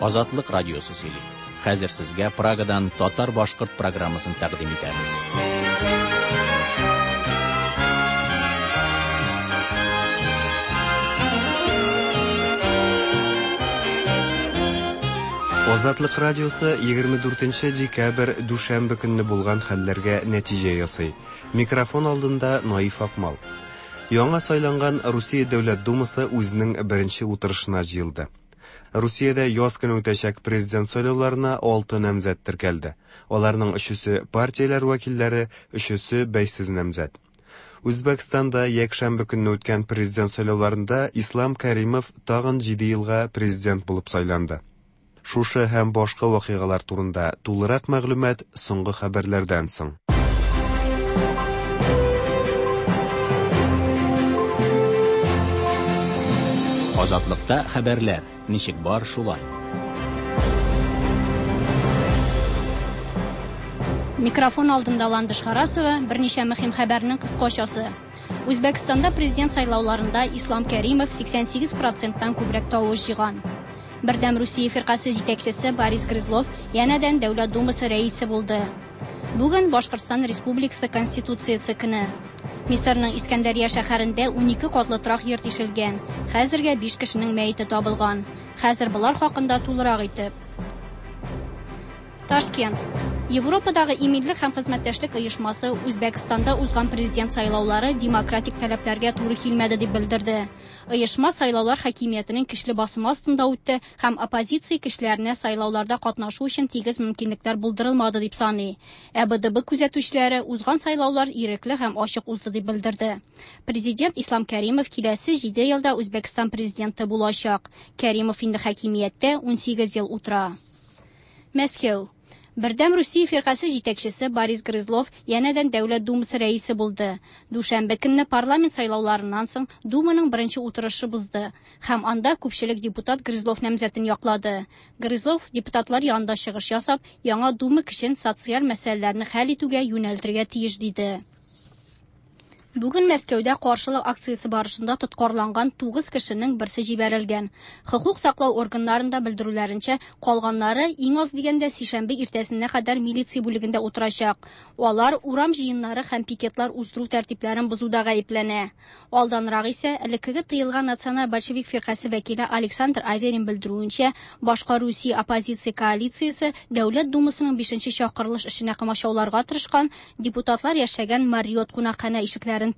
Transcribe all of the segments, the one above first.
Азатлык радиосы сөйли. Хәзер сезгә Прагадан татар-башкорт программасын тәкъдим итәбез. Азатлык радиосы 24 декабрь дүшәмбе көнне булган хәлләргә нәтиҗә ясый. Микрофон алдында Наиф Акмал. Яңа сайланган Русия Дәүләт Думасы үзенең беренче утырышына җыелды. Русиядә яз көне үтәчәк президент сайлауларына алты намзәт теркәлде. Аларның өчесе партияләр вәкилләре, өчесе бәйсез намзәт. Үзбәкстанда якшәмбе көнне үткән президент сайлауларында Ислам Кәримов тагын 7 елга президент булып сайланды. Шушы һәм башка вакыйгалар турында тулырак мәгълүмат соңгы хәбәрләрдән соң. Азатлыкта хәбәрләр ничек бар шулай. Микрофон алдында Ландыш Харасова берничә мөһим хәбәрнең кыскачасы. Үзбәкстанда президент сайлауларында Ислам Кәримов 88 проценттан күбрәк тавыш җыйган. Бердәм Русия фиркасе җитәкчесе Борис Грызлов янәдән Дәүләт Думасы рәисе булды. Бүген Башкортстан Республикасы Конституциясе көне. Мисырның Искәндәрия шәһәрендә 12 катлы торак йорт ишелгән. Хәзергә 5 кешенең мәете табылган. Хәзер болар хакында тулырак итеп. Ташкент. Европадагы иминлек һәм хезмәттәшлек оешмасы Үзбәкстанда узган президент сайлаулары демократик таләпләргә туры килмәде дип белдерде. Оешма сайлаулар хакимиятенең көчле басымы астында үтте һәм оппозиция көчләренә сайлауларда катнашу өчен тигез мөмкинлекләр булдырылмады дип саный. Ә БДБ күзәтүчеләре узган сайлаулар ирекле һәм ачык узды дип белдерде. Президент Ислам Кәримов киләсе 7 елда Үзбәкстан президенты булачак. Кәримов инде хакимияттә 18 ел утыра. Мәскәү. Бердәм Русия фиркасе җитәкчесе Борис Грызлов янәдән Дәүләт Думасы рәисе булды. Дүшәмбе көнне парламент сайлауларыннан соң Думаның беренче утырышы бузды һәм анда күпчелек депутат Грызлов намзәтен яклады. Грызлов депутатлар янында чыгыш ясап, яңа Дума көчен социаль мәсьәләләрне хәл итүгә юнәлтергә тиеш диде. Бүген Мәскәүдә каршылык акциясе барышында тоткарланган 9 кешенең берсе җибәрелгән. Хокук саклау органнарында белдерүләренчә, калганнары иң аз дигәндә сишәмбе иртәсенә кадәр милиция бүлегендә утырачак. Алар урам җыеннары һәм пикетлар уздыру тәртипләрен бозуда гаепләнә. Алданрак исә элеккеге тыелган Националь большевик фиркасе вәкиле Александр Аверин белдерүенчә, башка Русия оппозиция коалициясе Дәүләт Думасының 5нче чакырылыш эшенә комачауларга тырышкан депутатлар яшәгән Марриот кунакханә ишекләрен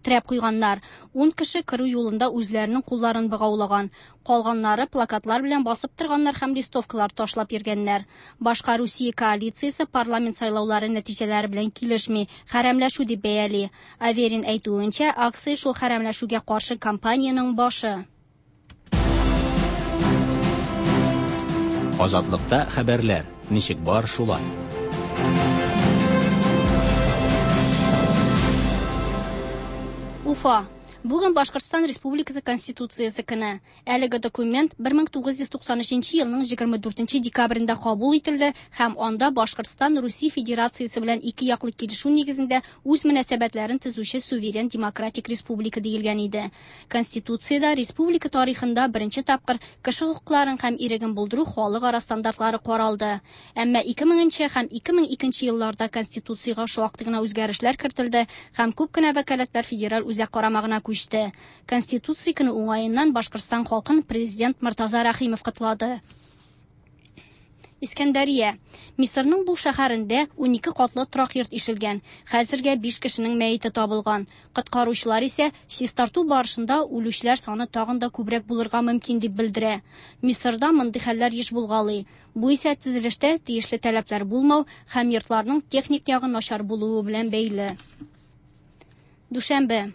терәп куйганнар. 10 кеше керү юлында үзләренең кулларын богаулаган. Калганнары плакатлар белән басып торганнар һәм листовкалар ташлап йөргәннәр. Башка Русия коалициясе парламент сайлаулары нәтиҗәләре белән килешми, хәрәмләшү дип бәяли. Аверин әйтүенчә, акция шул хәрәмләшүгә каршы кампаниянең башы. Азатлыкта хәбәрләр ничек бар шулай. Уфа. Бүген Башкортстан Республикасы Конституциясе көне. Әлеге документ 1993 елның 24 декабрендә кабул ителде һәм анда Башкортстан Русия Федерациясе белән ике яклы килешү нигезендә үз мөнәсәбәтләрен төзүче суверен демократик республика диелгән иде. Конституциядә республика тарихында беренче тапкыр кеше хокукларын һәм иреген булдыру халыкара стандартлары каралды. Әмма 2000 һәм 2002 елларда Конституциягә шактый гына үзгәрешләр кертелде һәм күп кенә вәкаләтләр федераль үзәк карамагына күчте. Конституция көне уңаеннан Башкортстан халкын президент Мортаза Рәхимов котлады. Искәндәрия. Мисырның бу шәһәрендә 12 катлы торак йорт ишелгән. Хәзергә 5 кешенең мәете табылган. Коткаручылар исә чистарту барышында үлүчеләр саны тагын да күбрәк булырга мөмкин дип белдерә. Мисырда мондый хәлләр еш булгалый. Бу исә төзелештә тиешле таләпләр булмау һәм йортларның техник ягы начар булуы белән бәйле. Дүшәмбе.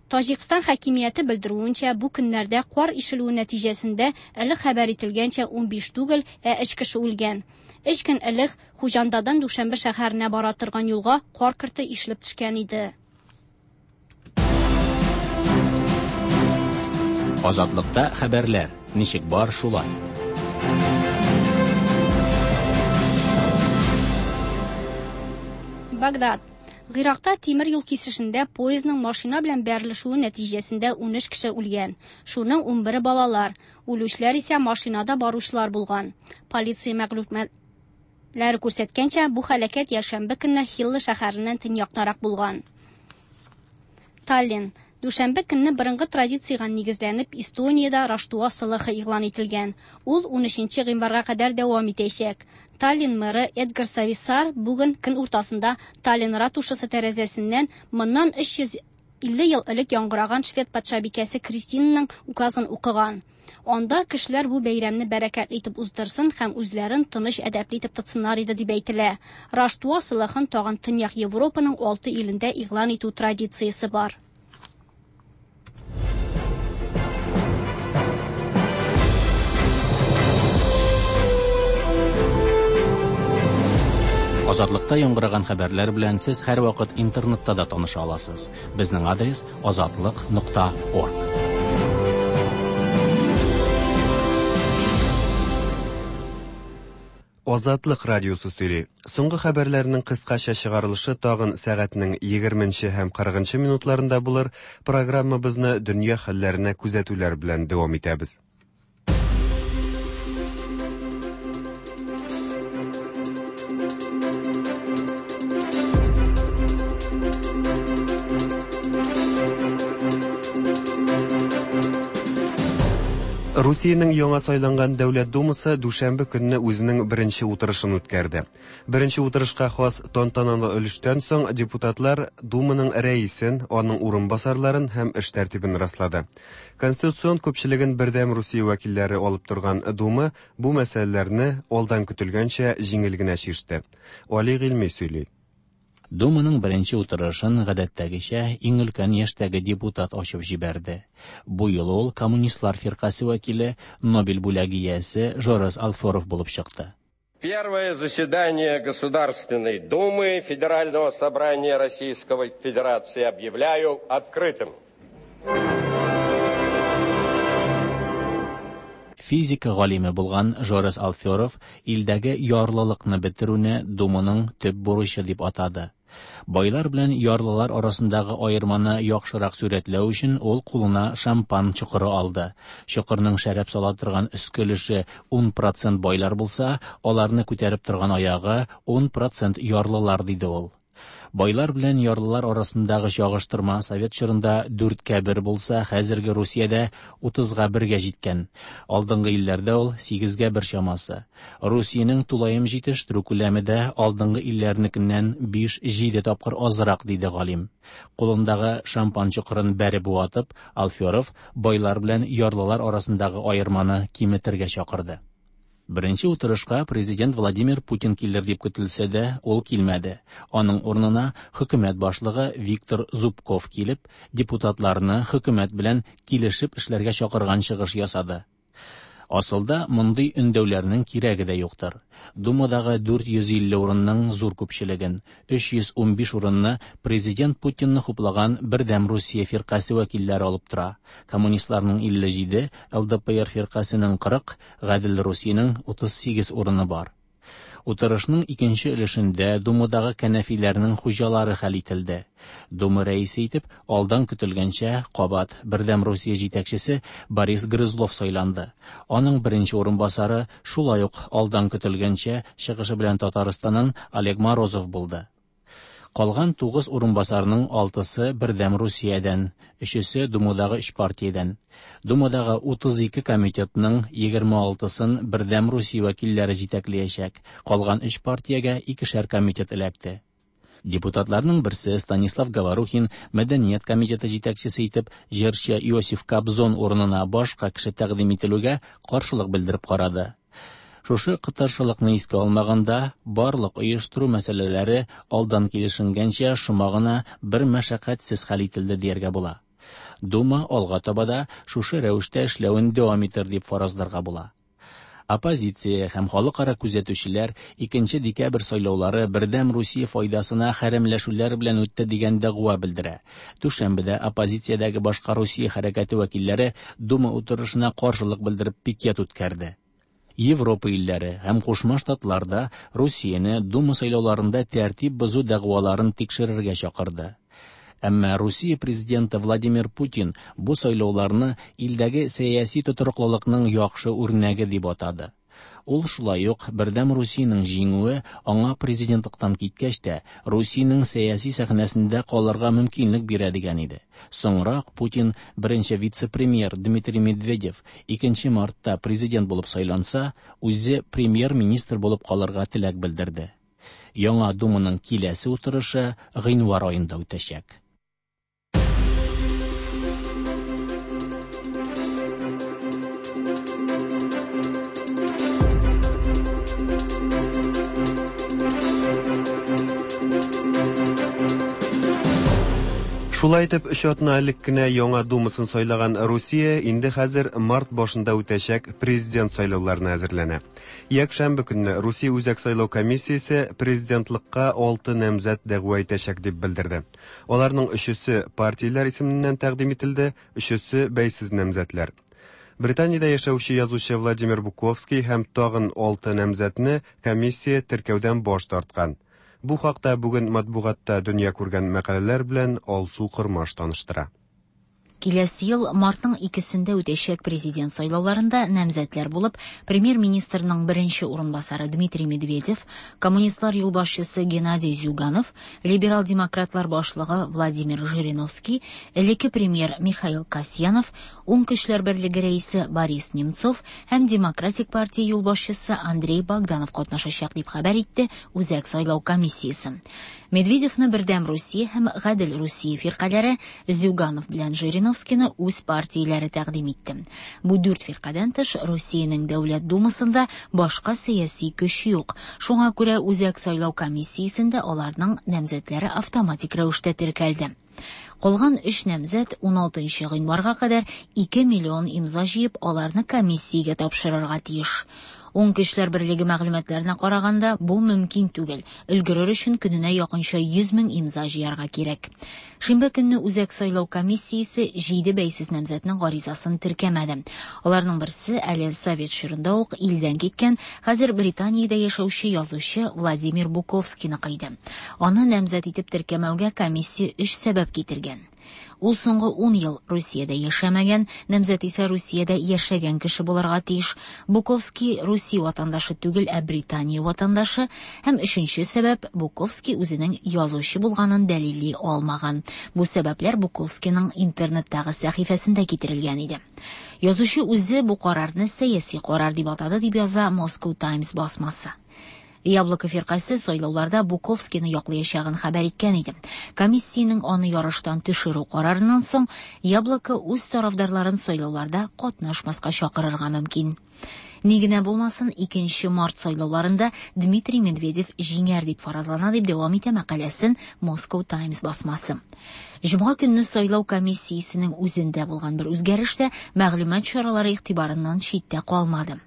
Таҗикстан хакимияте белдерүенчә, бу көннәрдә кар ишелүе нәтиҗәсендә элек хәбәр ителгәнчә 15 түгел, ә 3 кеше үлгән. 3 көн элек Хуҗандадан Дүшәмбе шәһәренә бара торган юлга кар көрте ишелеп төшкән иде. Азатлыкта хәбәрләр ничек бар шулай. Багдад. Гыйракта тимер юл кисешендә поездның машина белән бәрелешүе нәтиҗәсендә 13 кеше үлгән. Шуның 11-е балалар. Үлүчеләр исә машинада баручылар булган. Полиция мәгълүматлары күрсәткәнчә, бу һәлакәт якшәмбе көнне Хилла шәһәреннән төньяктарак булган. Таллин. Дүшәмбе көнне борынгы традициягә нигезләнеп, Эстониядә Раштуа сылыхы игълан ителгән. Ул 13 гыйнварга кадәр дәвам итәчәк. Таллин мэры Эдгар Сависар бүген көн уртасында Таллин ратушасы тәрәзәсеннән моннан 350 ел элек яңгыраган швед патшабикәсе Кристинаның указын укыган. Анда кешеләр бу бәйрәмне бәрәкәтле итеп уздырсын һәм үзләрен тыныч әдәпле итеп тотсыннар иде дип әйтелә. Раштуа сылыхын тагын Төньяк Европаның 6 илендә игълан итү традициясе бар. Азатлыкта яңгыраган хәбәрләр белән сез һәрвакыт интернетта да таныша аласыз. Безнең адрес азатлык.орг. Азатлык радиосы сөйли. Соңгы хәбәрләрнең кыскача чыгарылышы тагын сәгатьнең 20 һәм 40 минутларында булыр. Программабызны дөнья хәлләренә күзәтүләр белән дәвам итәбез. Русиянең яңа сайланган Дәүләт Думасы дүшәмбе көнне үзенең беренче утырышын үткәрде. Беренче утырышка хас тантаналы өлештән соң депутатлар Думаның рәисен, аның урынбасарларын һәм эш тәртибен раслады. Конституцион күпчелеген Бердәм Русия вәкилләре алып торган Дума бу мәсьәләләрне алдан көтелгәнчә җиңел генә чиште. Али Гыйльми сөйли. Думаның беренче утырышын гадәттәгечә иң өлкән яшьтәге депутат ачып җибәрде. Бу юлы ул коммунистлар фиркасе вәкиле, Нобель бүләге иясе Жорес Алферов булып чыкты. Первое заседание Государственной Думы Федерального собрания Российской Федерации объявляю открытым. Физика галиме булган Жорес Алферов илдәге ярлылыкны бетерүне Думаның төп бурычы дип атады. Байлар белән ярлылар арасындагы аерманы яхшырак сурәтләү өчен ул кулына шампан чокыры алды. Чокырның шәраб сала торган өске өлеше 10% байлар булса, аларны күтәреп торган аягы 10% ярлылар, диде ул. Байлар белән ярлылар арасындагы чагыштырма совет чорында 4-кә 1 булса, хәзерге Русиядә 30-га 1-гә җиткән. Алдынгы илләрдә ул 8-гә 1 чамасы. Русиянең тулаем җитештерү күләме дә алдынгы илләрнекеннән 5-7 тапкыр азрак, диде галим. Кулындагы шампан чокырын бәреп ватып, Алферов байлар белән ярлылар арасындагы аерманы киметергә чакырды. Беренче утырышка президент Владимир Путин килер дип көтелсә дә, ул килмәде. Аның урынына хөкүмәт башлыгы Виктор Зубков килеп, депутатларны хөкүмәт белән килешеп эшләргә чакырган чыгыш ясады. Асылда мондый өндәүләрнең кирәге дә юктыр. Думадагы 450 урынның зур күпчелеген, 315 урынны президент Путинны хуплаган Бердәм Русия фиркасе вәкилләре алып тора. Коммунистларның 57, ЛДПР фиркасенең 40, Гадел Русиянең 38 урыны бар. Утырышның икенче өлешендә Думадагы кәнәфиләрнең хуҗалары хәл ителде. Дума рәисе итеп алдан көтелгәнчә кабат Бердәм Русия җитәкчесе Борис Грызлов сайланды. Аның беренче урынбасары шулай ук алдан көтелгәнчә чыгышы белән Татарстаннан Олег Морозов булды. Калган 9 урынбасарның 6-сы Бердәм Русиядән, 3-се Думадагы 3 партиядән. Думадагы 32 комитетның 26-сын Бердәм Русия вәкилләре җитәкләячәк. Калган 3 партиягә икешәр комитет эләкте. Депутатларның берсе Станислав Говорухин Мәдәният комитеты җитәкчесе итеп җырчы Иосиф Кобзон урынына башка кеше тәкъдим ителүгә каршылык белдереп карады. Шушы кытыршылыкны искә алмаганда, барлык оештыру мәсьәләләре алдан килешенгәнчә шома гына бер мәшәкатьсез хәл ителде дияргә була. Дума алга таба да шушы рәвештә эшләвен дәвам итер дип фаразларга була. Оппозиция һәм халыкара күзәтүчеләр 2 декабрь сайлаулары Бердәм Русия файдасына хәрәмләшүләр белән үтте дигән дәгъва белдерә. Дүшәмбедә оппозициядәге башка Русия хәрәкәте вәкилләре Дума утырышына каршылык белдереп пикет үткәрде. Европа илләре һәм Кушма Штатлар да Русияне Дума сайлауларында тәртип бозу дәгъваларын тикшерергә чакырды. Әмма Русия президенты Владимир Путин бу сайлауларны илдәге сәяси тотрыклылыкның яхшы үрнәге дип атады. Ул шулай ук Бердәм Русиянең җиңүе аңа президентлыктан киткәч тә Русиянең сәяси сәхнәсендә калырга мөмкинлек бирә дигән иде. Соңрак Путин беренче вице-премьер Дмитрий Медведев 2 мартта президент булып сайланса, үзе премьер-министр булып калырга теләк белдерде. Яңа Думаның киләсе утырышы гыйнвар аенда үтәчәк. Шулай итеп, өч атна элек кенә яңа Думасын сайлаган Русия инде хәзер март башында үтәчәк президент сайлауларына әзерләнә. Якшәмбе көнне Русия Үзәк сайлау комиссиясе президентлыкка 6 намзәт дәгъва итәчәк дип белдерде. Аларның өчесе партияләр исеменнән тәкъдим ителде, өчесе бәйсез намзәтләр. Британиядә яшәүче язучы Владимир Буковский һәм тагын 6 намзәтне комиссия теркәүдән баш тарткан. Бу хакта бүген матбугатта дөнья күргән мәкаләләр белән Алсу Кормаш таныштыра. Киләсе ел мартның 2-сендә үтәчәк президент сайлауларында намзәтләр булып премьер-министрның беренче урынбасары Дмитрий Медведев, коммунистлар юлбашчысы Геннадий Зюганов, либерал-демократлар башлыгы Владимир Жириновский, элекке премьер Михаил Касьянов, Уң көчләр берлеге рәисе Борис Немцов һәм Демократик партия юлбашчысы Андрей Богданов катнашачак дип хәбәр итте Үзәк сайлау комиссиясе. Медведевны Бердәм Русия һәм Гадел Русия фиркаләре, Зюганов белән Жириновскийны үз партияләре тәкъдим итте. Бу дүрт фиркадән тыш Русиянең Дәүләт Думасында башка сәяси көч юк. Шуңа күрә Үзәк сайлау комиссиясендә аларның намзәтләре автоматик рәвештә теркәлде. Калган өч намзәт 16 гыйнварга кадәр 2 миллион имза җыеп, аларны комиссиягә тапшырырга тиеш. Уң көчләр берлеге мәгълүматларына караганда, бу мөмкин түгел. Өлгерер өчен көненә якынча 100 мең имза җыярга кирәк. Шимбә көнне Үзәк сайлау комиссиясе 7 бәйсез намзәтнең гаризасын теркәмәде. Аларның берсе әле совет чорында ук илдән киткән, хәзер Британиядә яшәүче язучы Владимир Буковскийны кыйды. Аны намзәт итеп теркәмәүгә комиссия 3 сәбәп китергән. Ул соңгы 10 ел Русиядә яшәмәгән, намзәт исә Русиядә яшәгән кеше булырга тиеш. Буковский Русия ватандашы түгел, ә Британия ватандашы. Һәм өченче сәбәп, Буковский үзенең язучы булганын дәлилли алмаган. Бу сәбәпләр Буковскийның интернеттагы сәхифәсендә китерелгән иде. Язучы үзе бу карарны сәяси карар дип атады, дип яза Moscow Times басмасы. Яблоко фиркасе сайлауларда Буковскийны яклаячагын хәбәр иткән иде. Комиссиянең аны ярыштан төшерү карарыннан соң Яблоко үз тарафдарларын сайлауларда катнашмаска чакырырга мөмкин. Ни генә булмасын, 2 март сайлауларында Дмитрий Медведев җиңәр дип фаразлана, дип дәвам итә мәкаләсен Moscow Times басмасы. Җомга көнне сайлау комиссиясенең үзендә булган бер үзгәреш тә мәгълүмат чаралары игътибарыннан читтә калмады.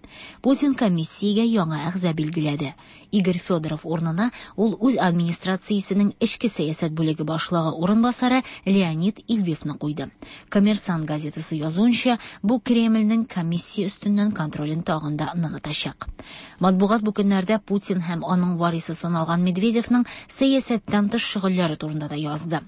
Путин комиссиягә яңа әгъза билгеләде. Игорь Федоров урынына ул үз администрациясенең эчке сәясәт бүлеге башлыгы урынбасары Леонид Ильвевны куйды. Коммерсант газетасы язуынча, бу Кремльнең комиссия өстеннән контролен тагын да ныгытачак. Матбугат бу көннәрдә Путин һәм аның варисы саналган Медведевның сәясәттән тыш шөгыльләре турында да язды.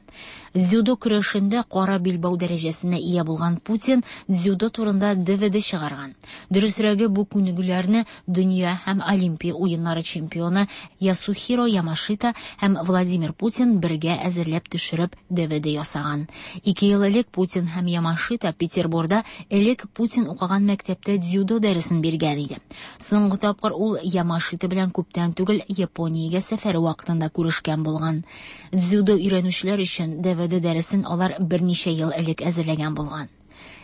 Дзюдо көрәшендә кара билбау дәрәҗәсенә ия булган Путин дзюдо турында DVD чыгарган. Дөресрәге, бу күнегүләрне дөнья һәм Олимпия уеннары чемпионы Ясухиро Ямашита һәм Владимир Путин бергә әзерләп төшереп DVD ясаган. 2 ел элек Путин һәм Ямашита Петербурда элек Путин укыган мәктәптә дзюдо дәресен биргән иде. Соңгы тапкыр ул Ямашита белән күптән түгел Япониягә сәфәре вакытында күрешкән булган. Дзюдо өйрәнүчеләр өчен DVD дәресен алар берничә ел элек әзерләгән булган.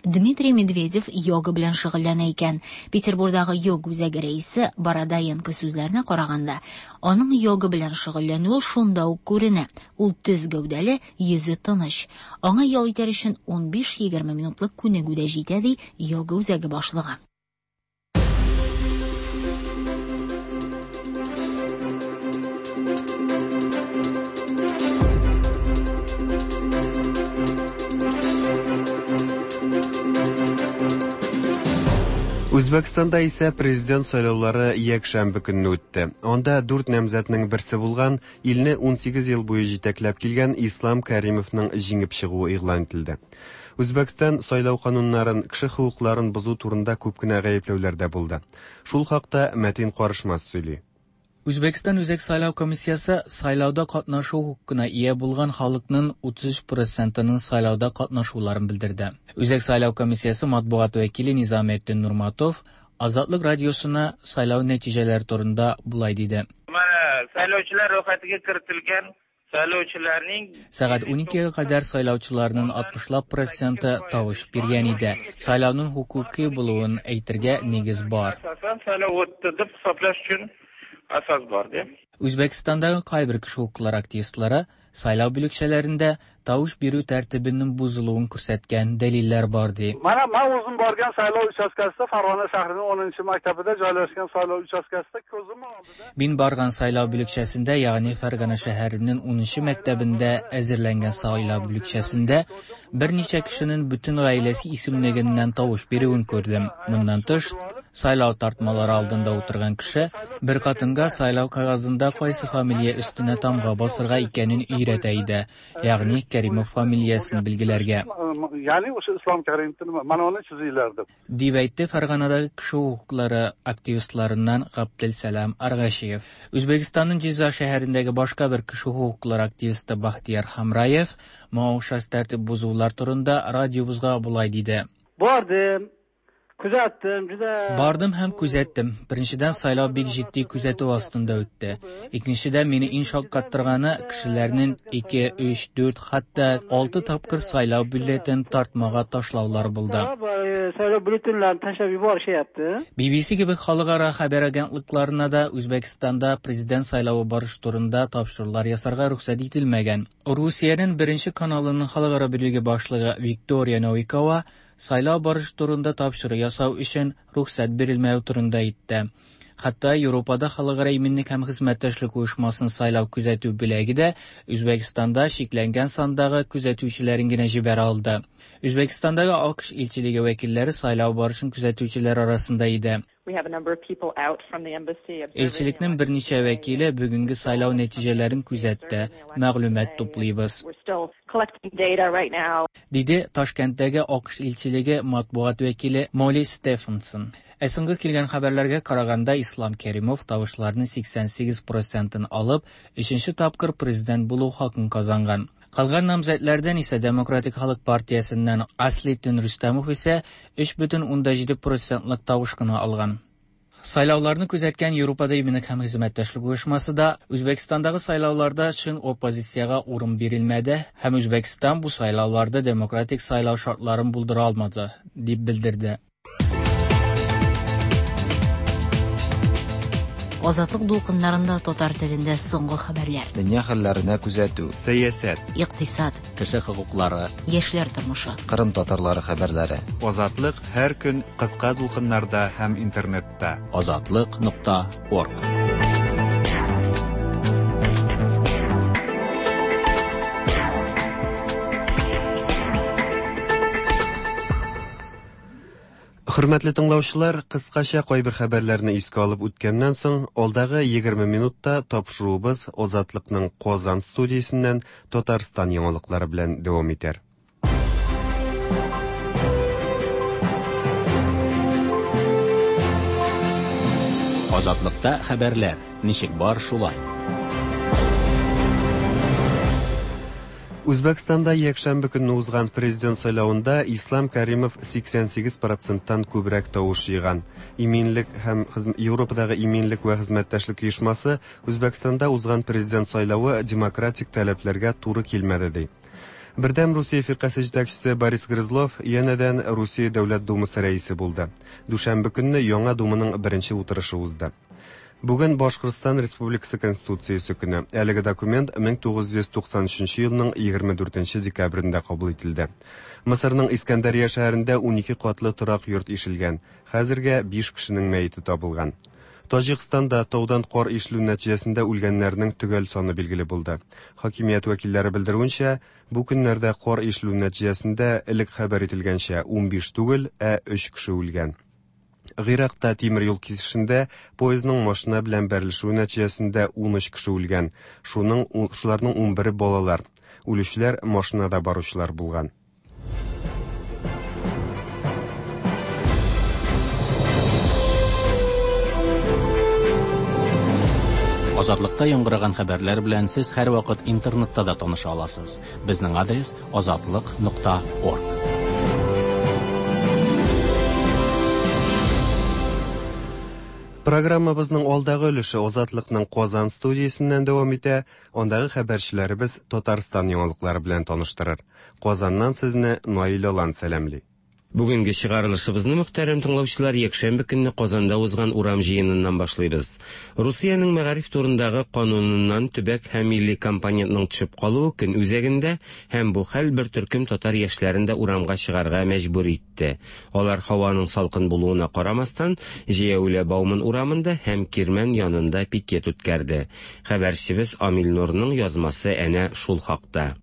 Дмитрий Медведев йога белән шөгыльләнә икән. Петербурдагы йога үзәге рәисе Бородоенко сүзләренә караганда, аның йога белән шөгыльләнүе шунда ук күренә. Ул төз гәүдәле, йөзе тыныч. Аңа ял итәр өчен 15-20 минутлык күнегү дә җитә, ди йога үзәге башлыгы. Үзбәкстанда исә президент сайлаулары якшәмбе көнне үтте. Анда дүрт намзәтнең берсе булган, илне 18 ел буе җитәкләп килгән Ислам Кәримовның җиңеп чыгуы игълан ителде. Үзбәкстан сайлау кануннарын, кеше хокукларын бозу турында күп кенә гаепләүләр дә булды. Шул хакта Мәтин Карышмас сөйли. Үзбәкстан Үзәк сайлау комиссиясе сайлауда катнашу хокукына ия булган халыкның 33 процентының сайлауда катнашуларын белдерде. Үзәк сайлау комиссиясе матбугат вәкиле Низаметдин Нурматов Азатлык радиосына сайлау нәтиҗәләре турында болай диде. Mana saylovchilar ro'yxatiga kiritilgan saylovchilarning Сәгать 12гә кадәр сайлаучыларның 60лап проценты тавыш биргән иде. Сайлауның хокуки булуын әйтергә нигез бар. Asosan saylov o'tdi deb hisoblash uchun asos bor deb. Үзбәкстандагы кайбер кеше хокуклары активистлары сайлау бүлекчәләрендә тавыш бирү тәртибенең бозылуын күрсәткән дәлилләр бар ди. Mana men o'zim borgan saylov uchastkasida Farg'ona shahrining 10 maktabida joylashgan saylov uchastkasida ko'zim oldida Мин барган сайлау бүлекчәсендә, ягъни Фәргана шәһәренең 10 мәктәбендә әзерләнгән сайлау бүлекчәсендә берничә кешенең бөтен гаиләсе исемлегеннән тавыш бирүен күрдем. Моннан тыш, сайлау тартмалары алдында утырган кеше бер хатынга сайлау кәгазендә кайсы фамилия өстенә тамга басырга икәнен өйрәтә иде, ягъни Кәримов фамилиясен билгеләргә. Ya'ni o'sha Islom Karimovni nima mana uni chizinglar deb. Дип әйтте Фәрганадагы кеше хокуклары активистларыннан Габделсәлам Аргашиев. Үзбәкстанның Җиза шәһәрендәге башка бер кеше хокуклары активисты Бахтияр Хамраев моңа охшаш тәртип бозулар турында радиобызга болай диде. Bordim, kuzatdim, juda Бардым һәм күзәттем. Беренчедән, сайлау бик җитди күзәтү астында үтте. Икенчедән, мине иң шаккаттырганы кешеләрнең 2, 3, 4, хәтта 6 тапкыр сайлау бюллетен тартмага ташлаулары булды. Saylov byulletenlarini tashlab yuborishyapti. BBC кебек халыкара хәбәр агентлыкларына да Үзбәкстанда президент сайлавы барышы турында тапшырулар ясарга рөхсәт ителмәгән. Русиянең беренче каналының халыкара бүлеге башлыгы Виктория Новикова сайлау барышы турында тапшыру ясау өчен рөхсәт бирелмәү турында әйтте. Хәтта Европада халыкара иминлек һәм хезмәттәшлек оешмасын сайлау күзәтү бүлеге дә Үзбәкстанда чикләнгән сандагы күзәтүчеләрен генә җибәрә алды. Үзбәкстандагы АКШ илчелеге вәкилләре сайлау барышын күзәтүчеләр арасында иде. Илчелекнең берничә вәкиле бүгенге сайлау нәтиҗәләрен күзәтте, мәгълүмат туплыйбыз. Диде Ташкенттәге АКШ илчелеге матбугат вәкиле Молли Стефенсон. Ә соңгы килгән хәбәрләргә караганда, Ислам Кәримов тавышларның 88%-ын алып, өченче тапкыр президент булу хакын казанган. Калган намзәтләрдән исә Демократик халык партиясеннән Аслетдин Рөстәмов исә 3,7%лык тавыш кына алган. Сайлауларны күзәткән Европада иминлек һәм хезмәттәшлек оешмасы да Үзбәкстандагы сайлауларда чын оппозициягә урын бирелмәде һәм Үзбәкстан бу сайлауларда демократик сайлау шартларын булдыра алмады, дип белдерде. Азатлык дулкыннарында татар телендә соңгы хәбәрләр. Дөнья хәлләренә күзәтү. Сәясәт, Икътисад, Кеше хокуклары, яшьләр тормышы. Кырым татарлары хәбәрләре. Азатлык һәр көн кыска дулкыннарда һәм интернетта. Азатлык.орг. Хөрмәтле тыңлаучылар, кыскача кайбер хәбәрләрне искә алып үткәннән соң, алдагы 20 минутта тапшыруыбыз Азатлыкның Казан студиясеннән Татарстан яңалыклары белән дәвам итәр. Азатлыкта хәбәрләр ничек бар шулай. Үзбәкстанда якшәмбе көнне узган президент сайлавында Ислам Каримов 88%-тан күбрәк тавыш җыйган. Иминлек һәм Европадагы иминлек вә хезмәттәшлек оешмасы Үзбәкстанда узган президент сайлавы демократик таләпләргә туры килмәде ди. Бердәм Русия фиркасе җитәкчесе Борис Грызлов янәдән Русия Дәүләт Думасы рәисе булды. Дүшәмбе көнне яңа Думаның беренче утырышы узды. Бүген Башкортстан Республикасы Конституциясе көне. Әлеге документ 1993 елның 24 декабрендә кабул ителде. Мысырның Искәндәрия шәһәрендә 12 катлы торак йорт ишелгән. Хәзергә 5 кешенең мәете табылган. Таҗикстанда таудан кар ишелү нәтиҗәсендә үлгәннәрнең төгәл саны билгеле булды. Хакимият вәкилләре белдерүенчә, бу көннәрдә кар ишелү нәтиҗәсендә элек хәбәр ителгәнчә 15 түгел, ә 3 кеше үлгән. Гыйракта тимер юл кисешендә поездның машина белән бәрелешүе нәтиҗәсендә 13 кеше үлгән. Шуның шуларның 11-е балалар. Үлүчеләр машинада баручылар булган. Азатлыкта яңгыраган хәбәрләр белән сез һәрвакыт интернетта да таныша аласыз. Безнең адрес азатлык.орг. Программабызның алдагы өлеше Азатлыкның Казан студиясеннән дәвам итә. Андагы хәбәрчеләребез Татарстан яңалыклары белән таныштырыр. Казаннан сезне Наил Алан сәламли. Бүгенге чыгарылышыбызны, мөхтәрәм тыңлаучылар, якшәмбе көнне Казанда узган урам җыеныннан башлыйбыз. Русиянең мәгариф турындагы кануныннан төбәк һәм милли компонентның төшеп калуы көн үзәгендә һәм бу хәл бер төркем татар яшьләрен дә урамга чыгарга мәҗбүр итте. Алар һаваның салкын булуына карамастан, җәяүле Бауман урамында һәм Кирмән янында пикет үткәрде. Хәбәрчебез Амил Нурның язмасы әнә шул хакта.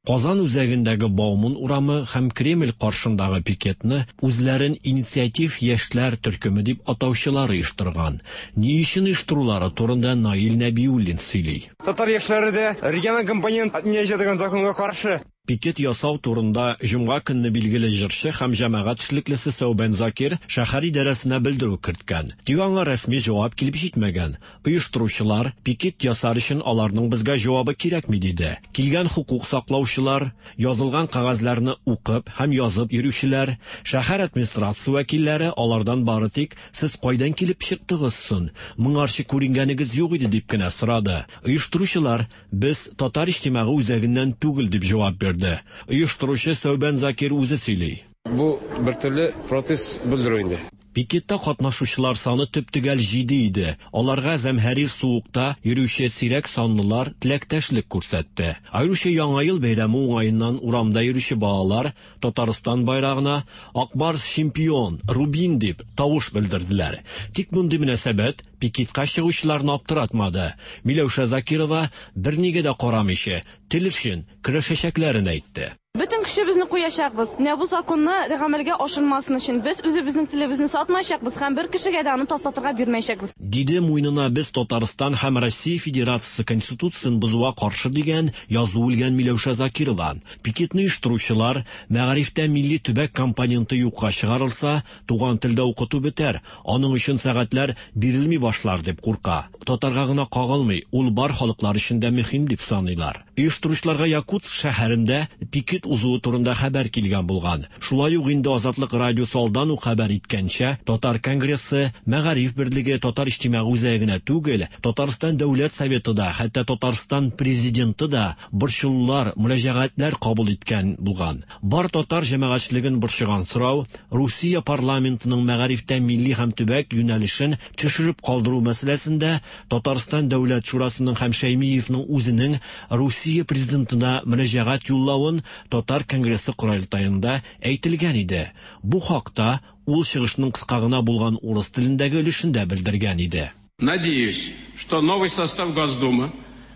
Казан үзәгендәге Бауман урамы һәм Кремль каршындагы пикетны үзләрен инициатив яшьләр төркеме дип атаучылар оештырган. Ни өчен оештырулары турында Наил Нәбиуллин сөйли. Татар яшьләре дә региональ компонент отменяющий дигән законга каршы. Пикет ясау турында җомга көнне билгеле җырчы һәм җәмәгать эшлеклесе Сәүбән Закир шәһәр идарәсенә белдерү керткән. Тик аңа рәсми җавап килеп җитмәгән. Оештыручылар пикет ясар өчен аларның безгә җавабы кирәкми диде. Килгән хокук саклаучылар, язылган кәгазьләрне укып һәм язып йөрүчеләр, шәһәр администрация вәкилләре алардан бары тик сез кайдан килеп чыктыгыз соң? Моңарчы күренгәнегез юк иде дип кенә сорады. Оештыручылар без Татар иҗтимагый үзәгеннән түгел дип җавап бирде. Оештыручы Сәүбән Закир үзе сөйли. Бу бер төрле протест белдерү инде. Пикетта катнашучылар саны төп-төгәл 7 иде. Аларга зәмһәрир суыкта йөрүче сирәк санлылар теләктәшлек күрсәтте. Аеруча Яңа ел бәйрәме уңаеннан урамда йөрүче балалар Татарстан байрагына Ак Барс чемпион, Рубин дип тавыш белдерделәр. Тик мондый мөнәсәбәт пикетка чыгучыларны аптыратмады. Миләүшә Закирова бернигә дә карамыйча тел өчен көрәшәчәкләрен әйтте. Бөтен көчебезне куячакбыз. Менә бу законны гамәлгә ашырмасын өчен без үзебезнең телебезне сатмаячакбыз һәм бер кешегә дә аны таптатырга бирмәячәкбез. Диде муенына без Татарстан һәм Россия Федерациясе Конституциясен бозуга каршы дигән язу элгән Миләүшә Закирова. Пикетны оештыручылар мәгарифтә милли төбәк компоненты юкка чыгарылса, туган телдә укыту бетәр, аның өчен сәгатьләр бирелми башлар дип курка. Татарга гына кагылмый, ул бар халыклар өчен дә мөһим дип саныйлар. Оештыручыларга Якутск шәһәрендә пикет узуы турында хәбәр килгән булган. Шулай ук инде Азатлык радиосы алдан ук хәбәр иткәнчә, Татар конгрессы, Мәгариф берлеге, Татар иҗтимагый үзәге генә түгел, Татарстан Дәүләт Советы да, хәтта Татарстан президенты да борчылулар, мөрәҗәгатьләр кабул иткән булган. Бар татар җәмәгатьчелеген борчыган сорау Русия парламентының мәгарифтә милли һәм төбәк юнәлешен төшереп калдыру мәсьәләсендә Татарстан Дәүләт Шурасының һәм Шәймиевның үзенең Русия президентына мөрәҗәгать юллавын Татар конгрессы корылтаенда әйтелгән иде. Бу хакта ул чыгышның кыска гына булган урыс телендәге өлешендә белдергән иде. Надеюсь, что новый состав Госдумы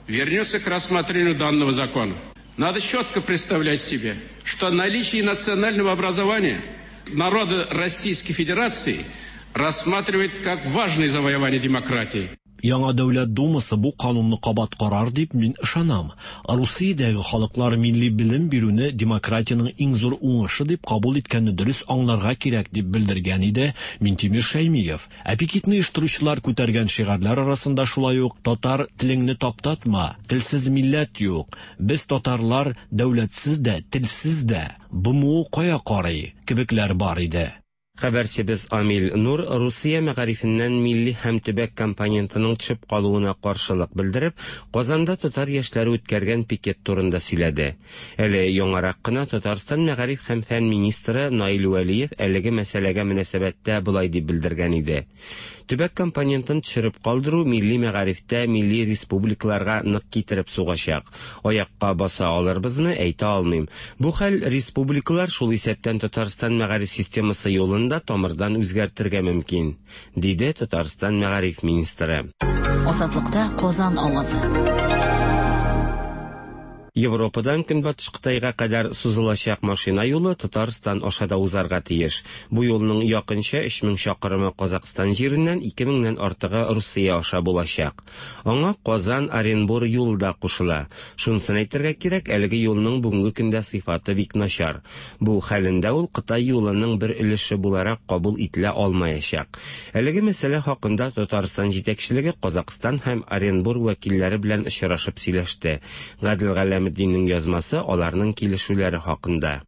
вернется к рассмотрению данного закона. Надо четко представлять себе, что наличие национального образования народа Российской Федерации рассматривает как важное завоевание демократии. Яңа Дәүләт Думасы бу канунны кабат карар дип мин ышанам. Русиядәге халыклар милли белем бирүне демократиянең иң зур уңышы дип кабул иткәнне дөрес аңларга кирәк дип белдергән иде Минтимер Шәймиев. Ә пикетны оештыручылар күтәргән шигарьләр арасында шулай ук татар телеңне таптатма, телсез милләт юк, без татарлар дәүләтсез дә, телсез дә, БМО кая карый кебекләр бар иде. Хәбәрчебез Амил Нур Русия мәгарифеннән милли һәм төбәк компонентының төшеп калуына каршылык белдереп, Казанда татар яшьләре үткәргән пикет турында сөйләде. Әле яңарак кына Татарстан мәгариф һәм фән министры Наил Вәлиев әлеге мәсьәләгә мөнәсәбәттә болай дип белдергән иде. Төбәк компонентын төшереп калдыру милли мәгарифтә милли республикаларга нык китереп сугачак. Аякка баса алырбызмы, әйтә алмыйм. Бу хәл республикалар, шул исәптән Татарстан мәгариф системасы юлын да тамырдан үзгәртергә мөмкин, диде Татарстан мәгариф министры. Азатлыкта Казан авазы. Европадан Көнбатыш Кытайга кадәр сузылачак машина юлы Татарстан аша да узарга тиеш. Бу юлның якынча 3000 чакрымы Казакъстан җиреннән, 2000 нән артыгы Русия аша булачак. Аңа Казан, Оренбур юлы да кушыла. Шунысын әйтергә кирәк, әлеге юлның бүгенге көндә сыйфаты бик начар. Бу хәлендә ул Кытай юлының бер өлеше буларак кабул ителә алмаячак. Әлеге мәсьәлә хакында Татарстан җитәкчелеге Казакъстан һәм Оренбур вәкилләре белән очрашып сөйләште. Гадел Галәметдиннең язмасы аларның килешүләре хакында.